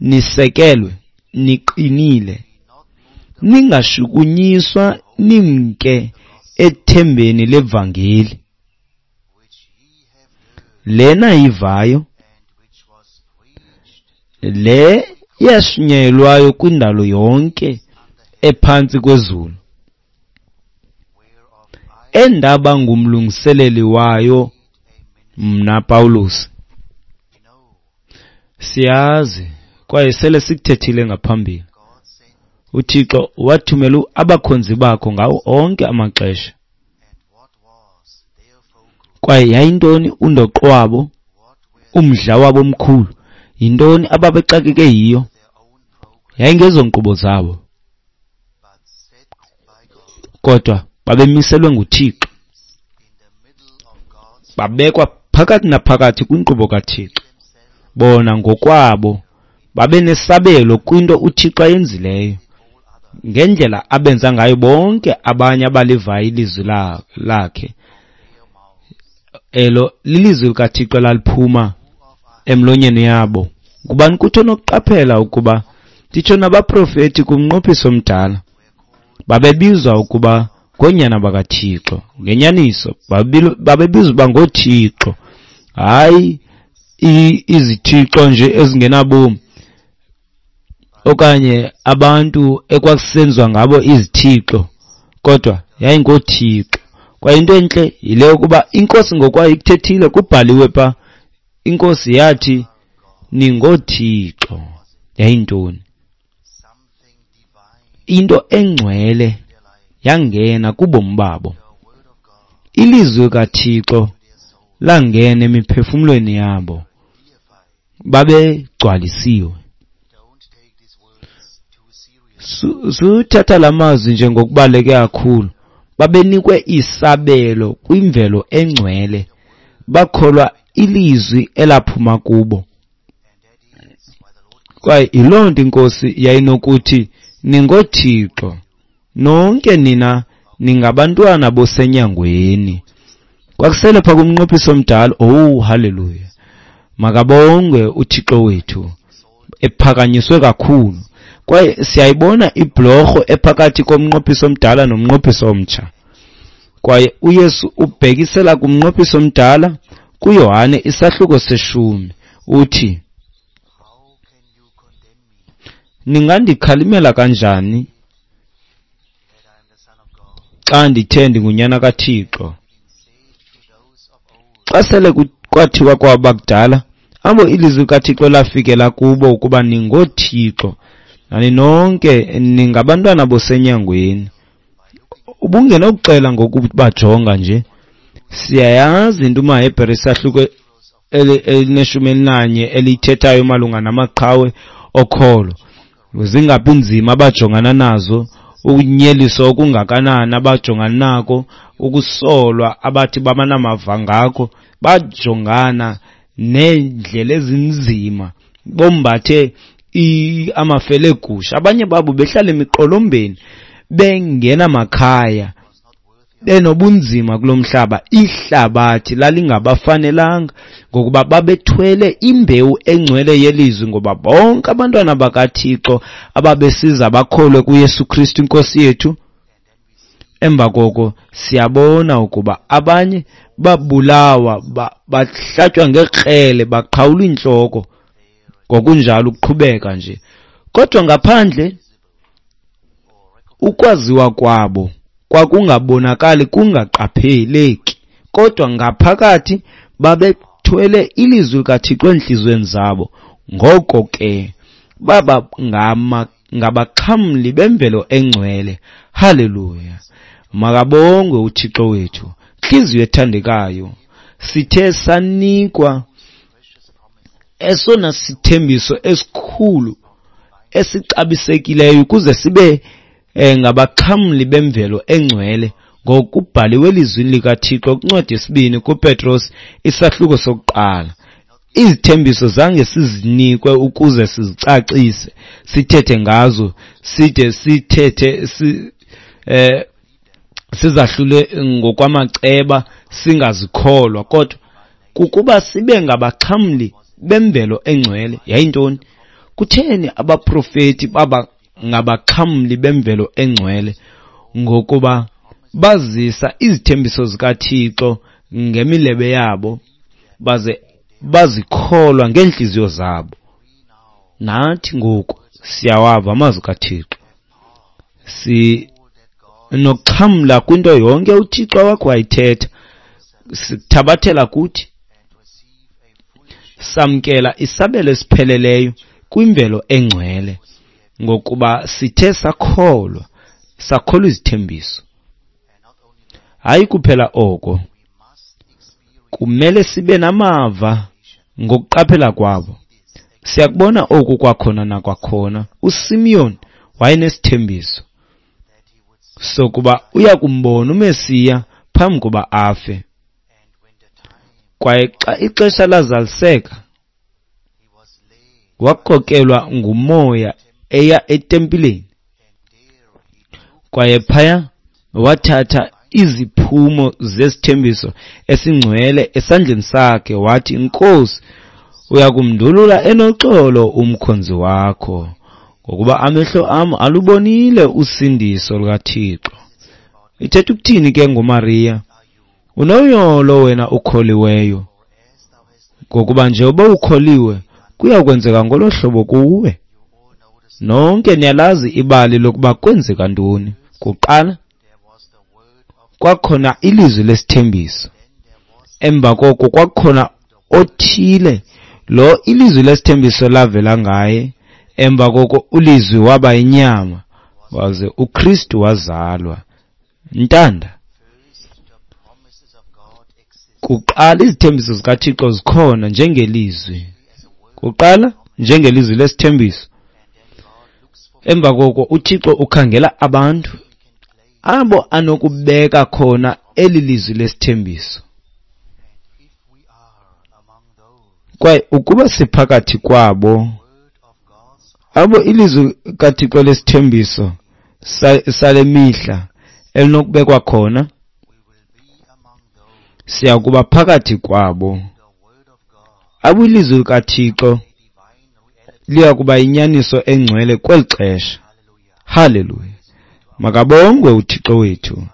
nisekelwe, niqinile, ningashukunyiswa nimke ethembeni levangeli lena yivayo, le yashunyayelwayo kwindalo yonke ephantsi kwezulu, endaba ngumlungiseleli wayo mna Pawulos. Siyazi kwaye sele sikuthethile ngaphambili, uThixo wathumela abakhonzi bakho ngawo onke amaxesha. Kwaye yayintoni undoqo wabo, umdla wabo omkhulu? Yintoni ababexakeke yiyo? Yayingezonkqubo zabo, kodwa babemiselwe nguThixo, babekwa phakathi naphakathi kwinkqubo kaThixo. Bona ngokwabo babenesabelo kwinto uThixo ayenzileyo, ngendlela abenza ngayo bonke abanye abalivayo ilizwi lakhe. Elo lilizwi likaThixo laliphuma emlonyeni yabo. Ngubani kuthi onokuqaphela ukuba nditsho nabaprofeti kumnqophiso omdala babebizwa ukuba ngoonyana bakaThixo? Ngenyaniso babebizwa uba ngooThixo, hayi izithixo nje ezingenabomi okanye abantu ekwakusenziwa ngabo izithixo, kodwa yayingooThixo. Kwaye into entle yile yokuba iNkosi ngokwayo ikuthethile, kubhaliwe pha INkosi yathi, ningoothixo. Yayintoni? Into engcwele yangena kubomi babo. Ilizwi kaThixo langena emiphefumlweni yabo. Babegcwalisiwe. Suthatha la mazwi njengokubaluleke kakhulu. Babenikwe isabelo kwimvelo engcwele. Bakholwa ilizwi elaphuma kubo. Kwaye yiloo nto iNkosi yayinokuthi, ningoothixo, nonke nina ningabantwana bosenyangweni. Kwakusele pha kumnqophiso omdala. Oh, haleluya. Makabongwe uThixo wethu, ephakanyiswe kakhulu. Kwaye siyayibona ibhlorho ephakathi komnqophiso omdala nomnqophiso omtsha. Kwaye uYesu ubhekisela kumnqophiso omdala kuYohane isahluko seshumi. Uthi, ningandikhalimela kanjani xa ndithe ndingunyana kaThixo? Xa sele kwathiwa kwabakudala, abo ilizwi likaThixo lafikela kubo ukuba ningoothixo, nani nonke ningabantwana bosenyangweni. Ubungenokuxela ngokubajonga nje. Siyayazi into umaHebhere isahluko elineshumi elinanye elithethayo malunga namaqhawe okholo. Zingaphi nzima abajongana nazo, ukunyeliswa okungakanani abajongana nako, ukusolwa abathi babanamava ngako. Bajongana neendlela ezinzima, bombathe amafele egusha. Abanye babo behlala emiqolombeni, bengenamakhaya, benobunzima kulo mhlaba. Ihlabathi lalingabafanelanga ngokuba babethwele imbewu engcwele yelizwi, ngoba bonke abantwana bakaThixo ababesiza bakholwe kuYesu Kristu iNkosi yethu. Emva koko siyabona ukuba abanye babulawa, bahlatywa ngekrele, baqhawulwa intloko, ngokunjalo ukuqhubeka nje. Kodwa ngaphandle ukwaziwa kwabo kwakungabonakali, kungaqapheleki, kodwa ngaphakathi babethwele ilizwi likaThixo entliziyweni zabo. Ngoko ke baba ngama ngabaxhamli bemvelo engcwele. Haleluya. Makabongwe uThixo wethu. Ntliziyo ethandekayo, sithe sanikwa esona sithembiso esikhulu esixabisekileyo ukuze sibe ngabaxhamli bemvelo engcwele, ngokubhaliwe elizwini likaThixo kwincwadi yesibini kuPetros isahluko sokuqala. Izithembiso zange sizinikwe ukuze sizicacise, sithethe ngazo, side sithethe si, eh, sizahlule ngokwamaceba, singazikholwa, kodwa kukuba sibe ngabaxhamli bemvelo engcwele. Yayintoni? Kutheni abaprofeti baba ngabaxhamli bemvelo engcwele? Ngokuba bazisa izithembiso zikaThixo ngemilebe yabo, baze bazikholwa ngeenhliziyo zabo. Nathi ngoku siyawava amazwi kaThixo, sinokuxhamla kwinto yonke uThixo wakho wayithetha, sithabathela kuthi, samkela isabelo esipheleleyo kwimvelo engcwele, ngokuba sithe sakholwa, sakholwa izithembiso. Hayi kuphela oko, kumele sibe namava ngokuqaphela kwabo. Siyakubona oku kwakhona nakwakhona. uSimeon wayenesithembiso sokuba uyakumbona uMesiya phambi koba afe. Kwaye xa ixesha lazaliseka, wakhokelwa ngumoya eya etempileni. Kwaye phaya wathatha iziphumo zesithembiso esingcwele esandleni sakhe, wathi, Nkosi, uyakumndulula enoxolo umkhonzi wakho, ngokuba amehlo am alubonile usindiso lukaThixo. Ithetha ukuthini ke ngoMariya? Unoyolo wena ukholiweyo, ngokuba njengoba ukholiwe kuya kwenzeka ngolo hlobo kuwe. Nonke niyalazi ibali lokuba kwenzeka ntoni. Kuqala kwakhona ilizwi lesithembiso, emva koko kwakhona othile lo ilizwi lesithembiso lavela ngaye. Emva koko ulizwi waba inyama, waze uKristu wazalwa. Ntanda, kuqala izithembiso zikaThixo zikhona njengelizwi, kuqala njengelizwi lesithembiso. Emva koko uThixo ukhangela abantu abo anokubeka khona eli lizwi lesithembiso. Kwaye ukuba siphakathi kwabo abo ilizwi kaThixo lesithembiso sale mihla elinokubekwa khona, siya kuba phakathi kwabo abo ilizwi likaThixo liya kuba inyaniso engcwele kweli xesha. Haleluya! Makabongwe uThixo wethu.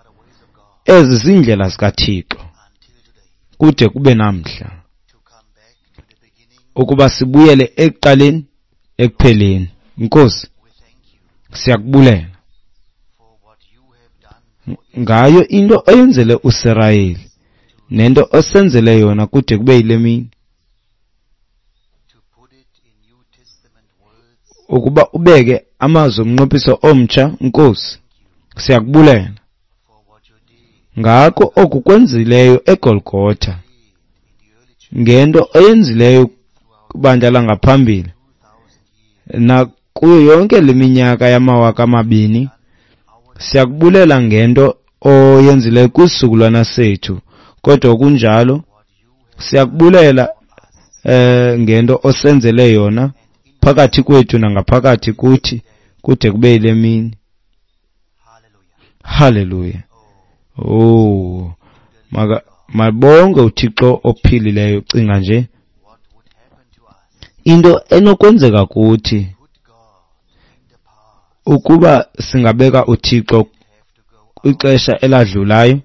Ezi ziindlela zikaThixo kude kube namhla, ukuba sibuyele ekuqaleni ekupheleni. Nkosi, siyakubulela ngayo into oyenzele uSirayeli nento osenzele yona kude kube yile mini, ukuba ubeke amazwi omnqophiso omtsha. Nkosi, siyakubulela ngako oku kwenzileyo eGolgotha, ngento oyenzileyo kubandla langaphambili nakuyo yonke le minyaka yamawaka amabini. Siyakubulela ngento oyenzileyo kwisizukulwana sethu, kodwa kunjalo siyakubulela eh ngento osenzele yona phakathi kwethu nangaphakathi kuthi kude kube yile mini. Haleluya! Oh, maka mabonge uThixo ophilileyo. Cinga nje into enokwenzeka kuthi ukuba singabeka uThixo kwixesha eladlulayo,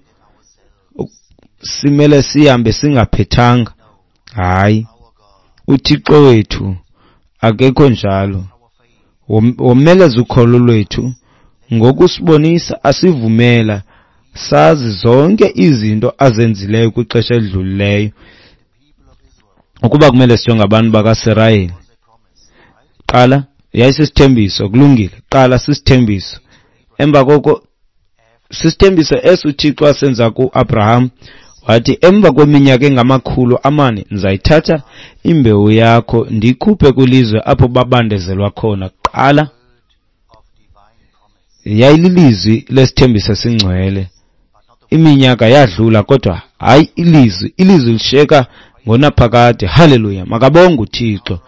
simele sihambe singaphethanga. Hayi, uThixo wethu akekho njalo. Womeleza ukholo lwethu ngokusibonisa, asivumela sazi zonke izinto azenzileyo kwixesha elidlulileyo. Ukuba kumele sijonge abantu bakaSirayeli, qala yayisisithembiso, kulungile, qala sisithembiso. Emva koko sisithembiso eso uThixo asenza kuAbraham, wathi emva kweminyaka engamakhulu amane ndizayithatha imbewu yakho ndiyikhuphe kwilizwe apho babandezelwa khona. Qala yayililizwi lesithembiso esingcwele. Iminyaka yadlula, kodwa hayi ilizwi, ilizwi lishiyeka ngonaphakade. Haleluya! Makabonge uThixo.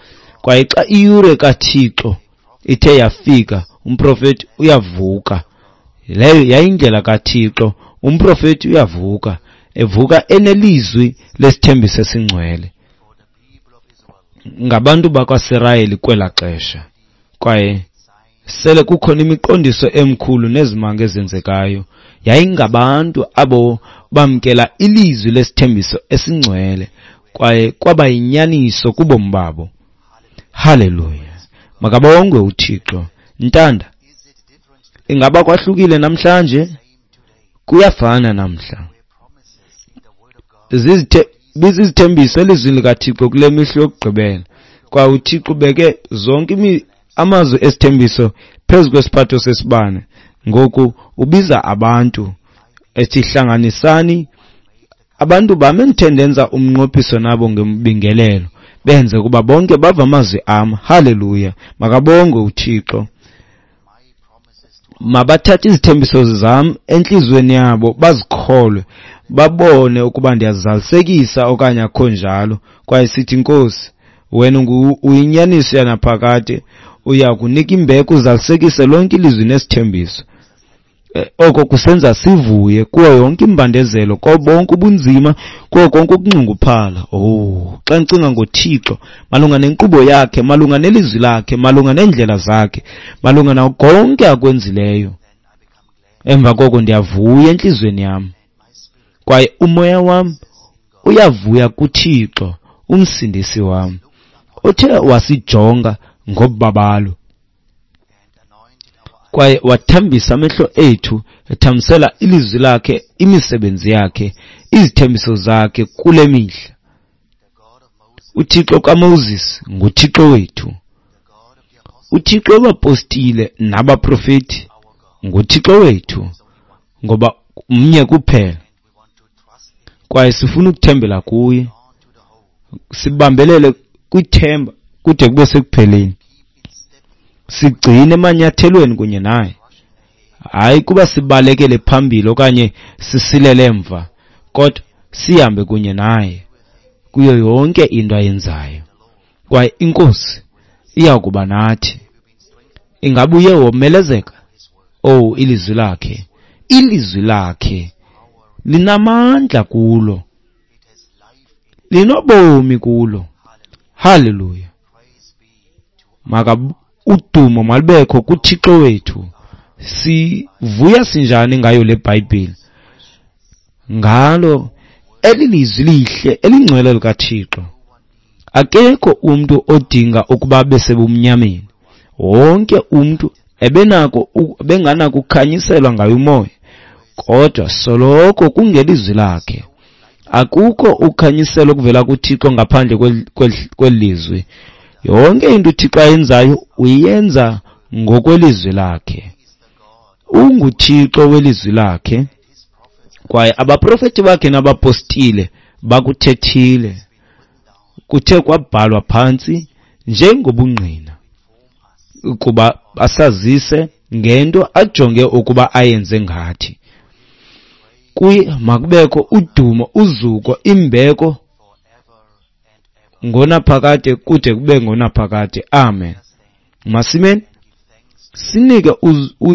Kwaye xa iyure kaThixo ithe yafika, umprofeti uyavuka. Leyo yayindlela kaThixo. Umprofeti uyavuka, evuka enelizwi lesithembiso esingcwele ngabantu bakwaSirayeli kwela xesha. Kwaye sele kukhona imiqondiso emkhulu nezimanga ezenzekayo. Yayingabantu abo bamkela ilizwi lesithembiso esingcwele, kwaye kwaba yinyaniso kubomi babo. Haleluya! Makabongwe uThixo. Ntanda, ingaba kwahlukile namhlanje? Kuyafana namhla. Zizithe bizizithembiso elizwini likaThixo kule mihla yokugqibela. Kwaye uThixo ubeke zonke amazwi esithembiso phezu kwesiphatho sesibane. Ngoku ubiza abantu ethi hlanganisani abantu bam endithe ndenza umnqophiso nabo ngembingelelo, benze kuba bonke bava amazwi am. Haleluya! Makabongwe uThixo. Mabathathe izithembiso zam entliziyweni yabo, bazikholwe, babone ukuba ndiyazizalisekisa okanye akho njalo. Kwaye sithi, Nkosi, wena uyinyaniso yanaphakade, uya kunika imbeko uzalisekise lonke ilizwi nesithembiso. Oko kusenza sivuye kuwo yonke imbandezelo, kuwo bonke ubunzima, kuwo konke ukunxunguphala. Oh, xa ndicinga ngoThixo malunga nenkqubo yakhe, malunga nelizwi lakhe, malunga neendlela zakhe, malunga nawo konke akwenzileyo, emva koko ndiyavuya entliziyweni yam, kwaye umoya wam uyavuya kuThixo umsindisi wam, othe wasijonga ngobabalo kwaye wathambisa amehlo ethu, ethambisela ilizwi lakhe, imisebenzi yakhe, izithembiso zakhe kule mihla. UThixo kaMoses nguThixo wethu. UThixo wabapostile nabaprofeti nguThixo wethu, ngoba mnye kuphela. Kwaye sifuna ukuthembela kuye, sibambelele kwithemba kude kube sekupheleni, sigcine emanyathelweni kunye naye. Hayi kuba sibalekele phambili okanye sisilele emva, kodwa sihambe kunye naye kuyo yonke into ayenzayo. Kwaye iNkosi iya kuba nathi. Ingabe uye womelezeka? Oh, ilizwi lakhe, ilizwi lakhe linamandla kulo, linobomi kulo. Haleluya! Maka udumo malubekho kuThixo wethu. Sivuya sinjani ngayo le Bhayibhile, ngalo elilizwi lihle elingcwele likaThixo. Akekho umuntu odinga ukuba besebumnyameni. Wonke umuntu ebenako benganako ukukhanyiselwa ngayo umoya, kodwa soloko kungelizwi lakhe. Akukho ukhanyiselo okuvela kuThixo ngaphandle kwelizwi. Yonke into uThixo ayenzayo uyenza ngokwelizwi lakhe. UnguThixo welizwi lakhe, kwaye abaprofeti bakhe nabapostile bakuthethile, kuthe kwabhalwa phantsi njengobungqina ukuba basazise ngento ajonge ukuba ayenze ngathi. Kuye makubekho udumo, uzuko, imbeko ngonaphakade kude kube ngonaphakade. Amen. Masimeni sinike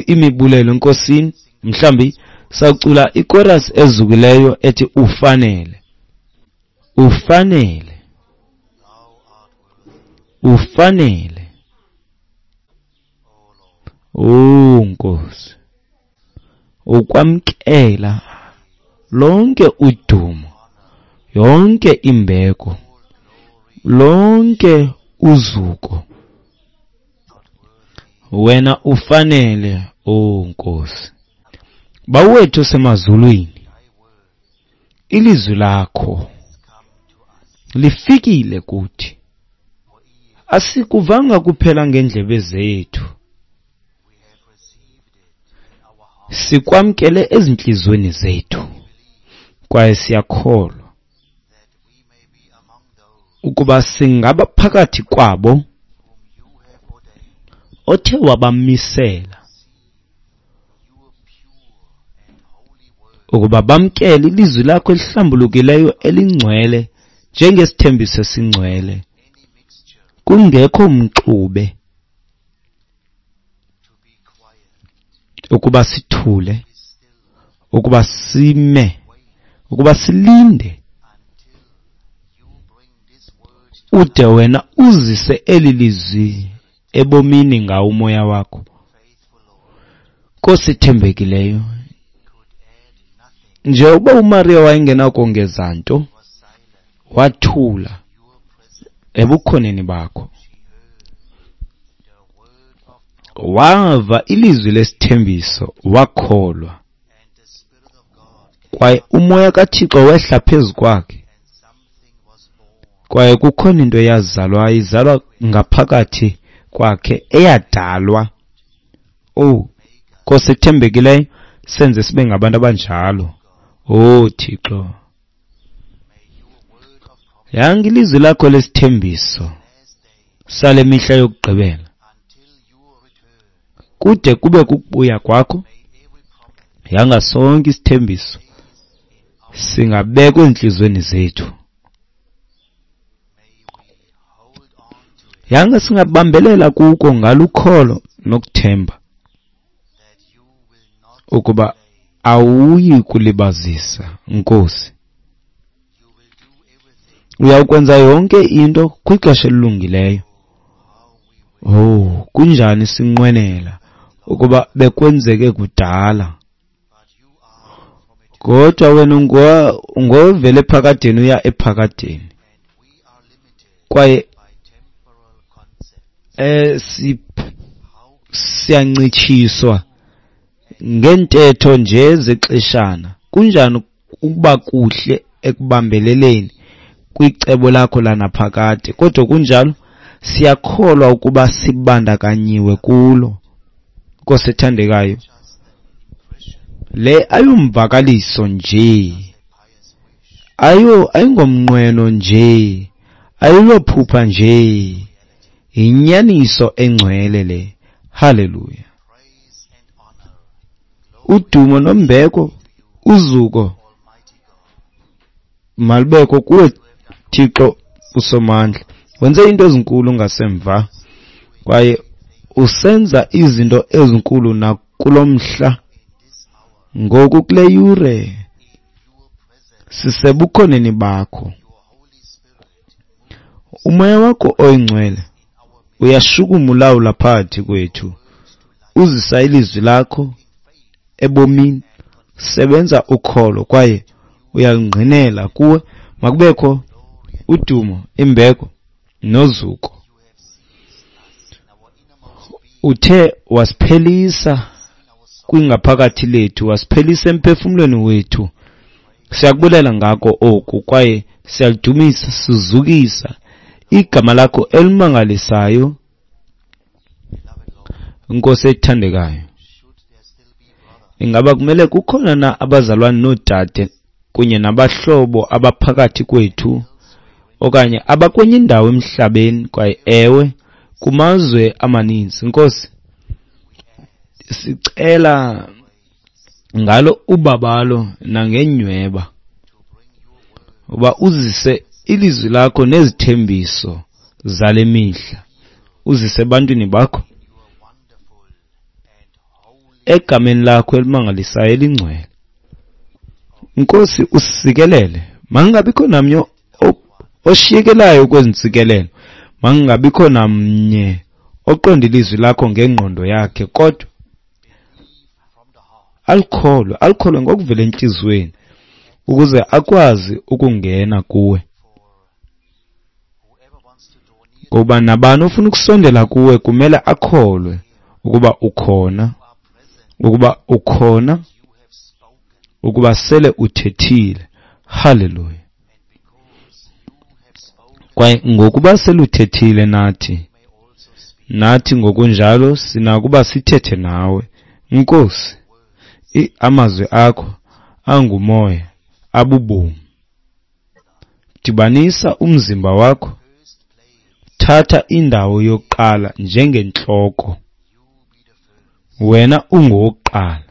imibulelo eNkosini. Mhlambi sacula ichorus ezukileyo ethi ufanele, ufanele, ufanele. Oh Nkosi, ukwamkela lonke udumo, yonke imbeko, lonke uzuko. Wena ufanele, oh Nkosi. Bawethu semazulwini, ilizwi lakho lifikile kuthi. Asikuvanga kuphela ngendlebe zethu, sikwamkele ezinhlizweni zethu, kwaye siyakholwa ukuba singaba phakathi kwabo othe wabamisela ukuba bamkele ilizwi lakho elihlambulukileyo elingcwele njengesithembiso esingcwele, kungekho mxube, ukuba sithule, ukuba sime, ukuba silinde ude wena uzise eli lizwi ebomini ngawo umoya wakho. Nkosi ethembekileyo, njengoba uMaria wayengenakongeza nto, wathula ebukhoneni bakho, wava ilizwi lesithembiso, wakholwa, kwaye umoya kaThixo wehla phezu kwakhe, kwaye kukhona into eyazalwa, izalwa ngaphakathi kwakhe, eyadalwa. Oh Nkosi ethembekileyo, senze sibe ngabantu abanjalo. Oh Thixo, yanga ilizwi lakho lesithembiso sale mihla yokugqibela kude kube kukubuya kwakho. Yanga sonke isithembiso singabekwa enhlizweni zethu. Yanga singabambelela kuko ngalukholo nokuthemba ukuba awuyi kulibazisa Nkosi. Uyawukwenza yonke into kwixesha elilungileyo. Oh, kunjani sinqwenela ukuba bekwenzeke kudala, kodwa wena ungovele ephakadeni uya ephakadeni, kwaye eh siyancitshiswa ngentetho nje zexeshana. Kunjani ukuba kuhle ekubambeleleni kwicebo lakho lanaphakade, kodwa kunjalo siyakholwa ukuba sibandakanyiwe kulo. Nkosi ethandekayo, le ayomvakaliso nje, ayo ayingomnqweno nje, ayilophupha nje, yinyaniso engcwele le. Haleluya. Udumo nombeko, uzuko malubekho kuwe Thixo uSomandla. Wenze into ezinkulu ngasemva kwaye usenza izinto ezinkulu nakulo mhla. Ngoku kule yure sisebukhoneni bakho. Umoya wakho oyingcwele uyashukuma ulawula phakathi kwethu, uzisa ilizwi lakho ebomini, sebenza ukholo kwaye uyalungqinela kuwe. Makubekho udumo, imbeko nozuko. Uthe wasiphelisa kwingaphakathi lethu, wasiphelisa emphefumlweni wethu. Siyakubulela ngako oku kwaye siyalidumisa, sizukisa igama lakho elimangalisayo, Nkosi ethandekayo. Ingaba kumele kukhona na abazalwane noodade kunye nabahlobo abaphakathi kwethu okanye abakwenye indawo emhlabeni, kwaye ewe kumazwe amaninzi? Nkosi, sicela ngalo ubabalo nangenyweba uba uzise ilizwi lakho nezithembiso zale mihla, uzise ebantwini bakho egameni lakho elimangalisayo elingcwele. Nkosi, usisikelele. Makungabikho namnye oshiyekelayo kwezi ntsikelelo, makungabikho namnye oqonda ilizwi lakho ngengqondo yakhe, kodwa alikholwe, alikholwe ngokuvela entliziyweni ukuze akwazi ukungena kuwe. Ngoba nabani ofuna ukusondela kuwe kumele akholwe ukuba ukhona, ukuba ukhona, ukuba sele uthethile. Haleluya. Kwaye ngokuba seluthethile nathi, nathi ngokunjalo sinakuba sithethe nawe. Nkosi, amazwi akho angumoya, abubomi. Dibanisa umzimba wakho, thatha indawo yokuqala njengentloko. Wena ungowokuqala.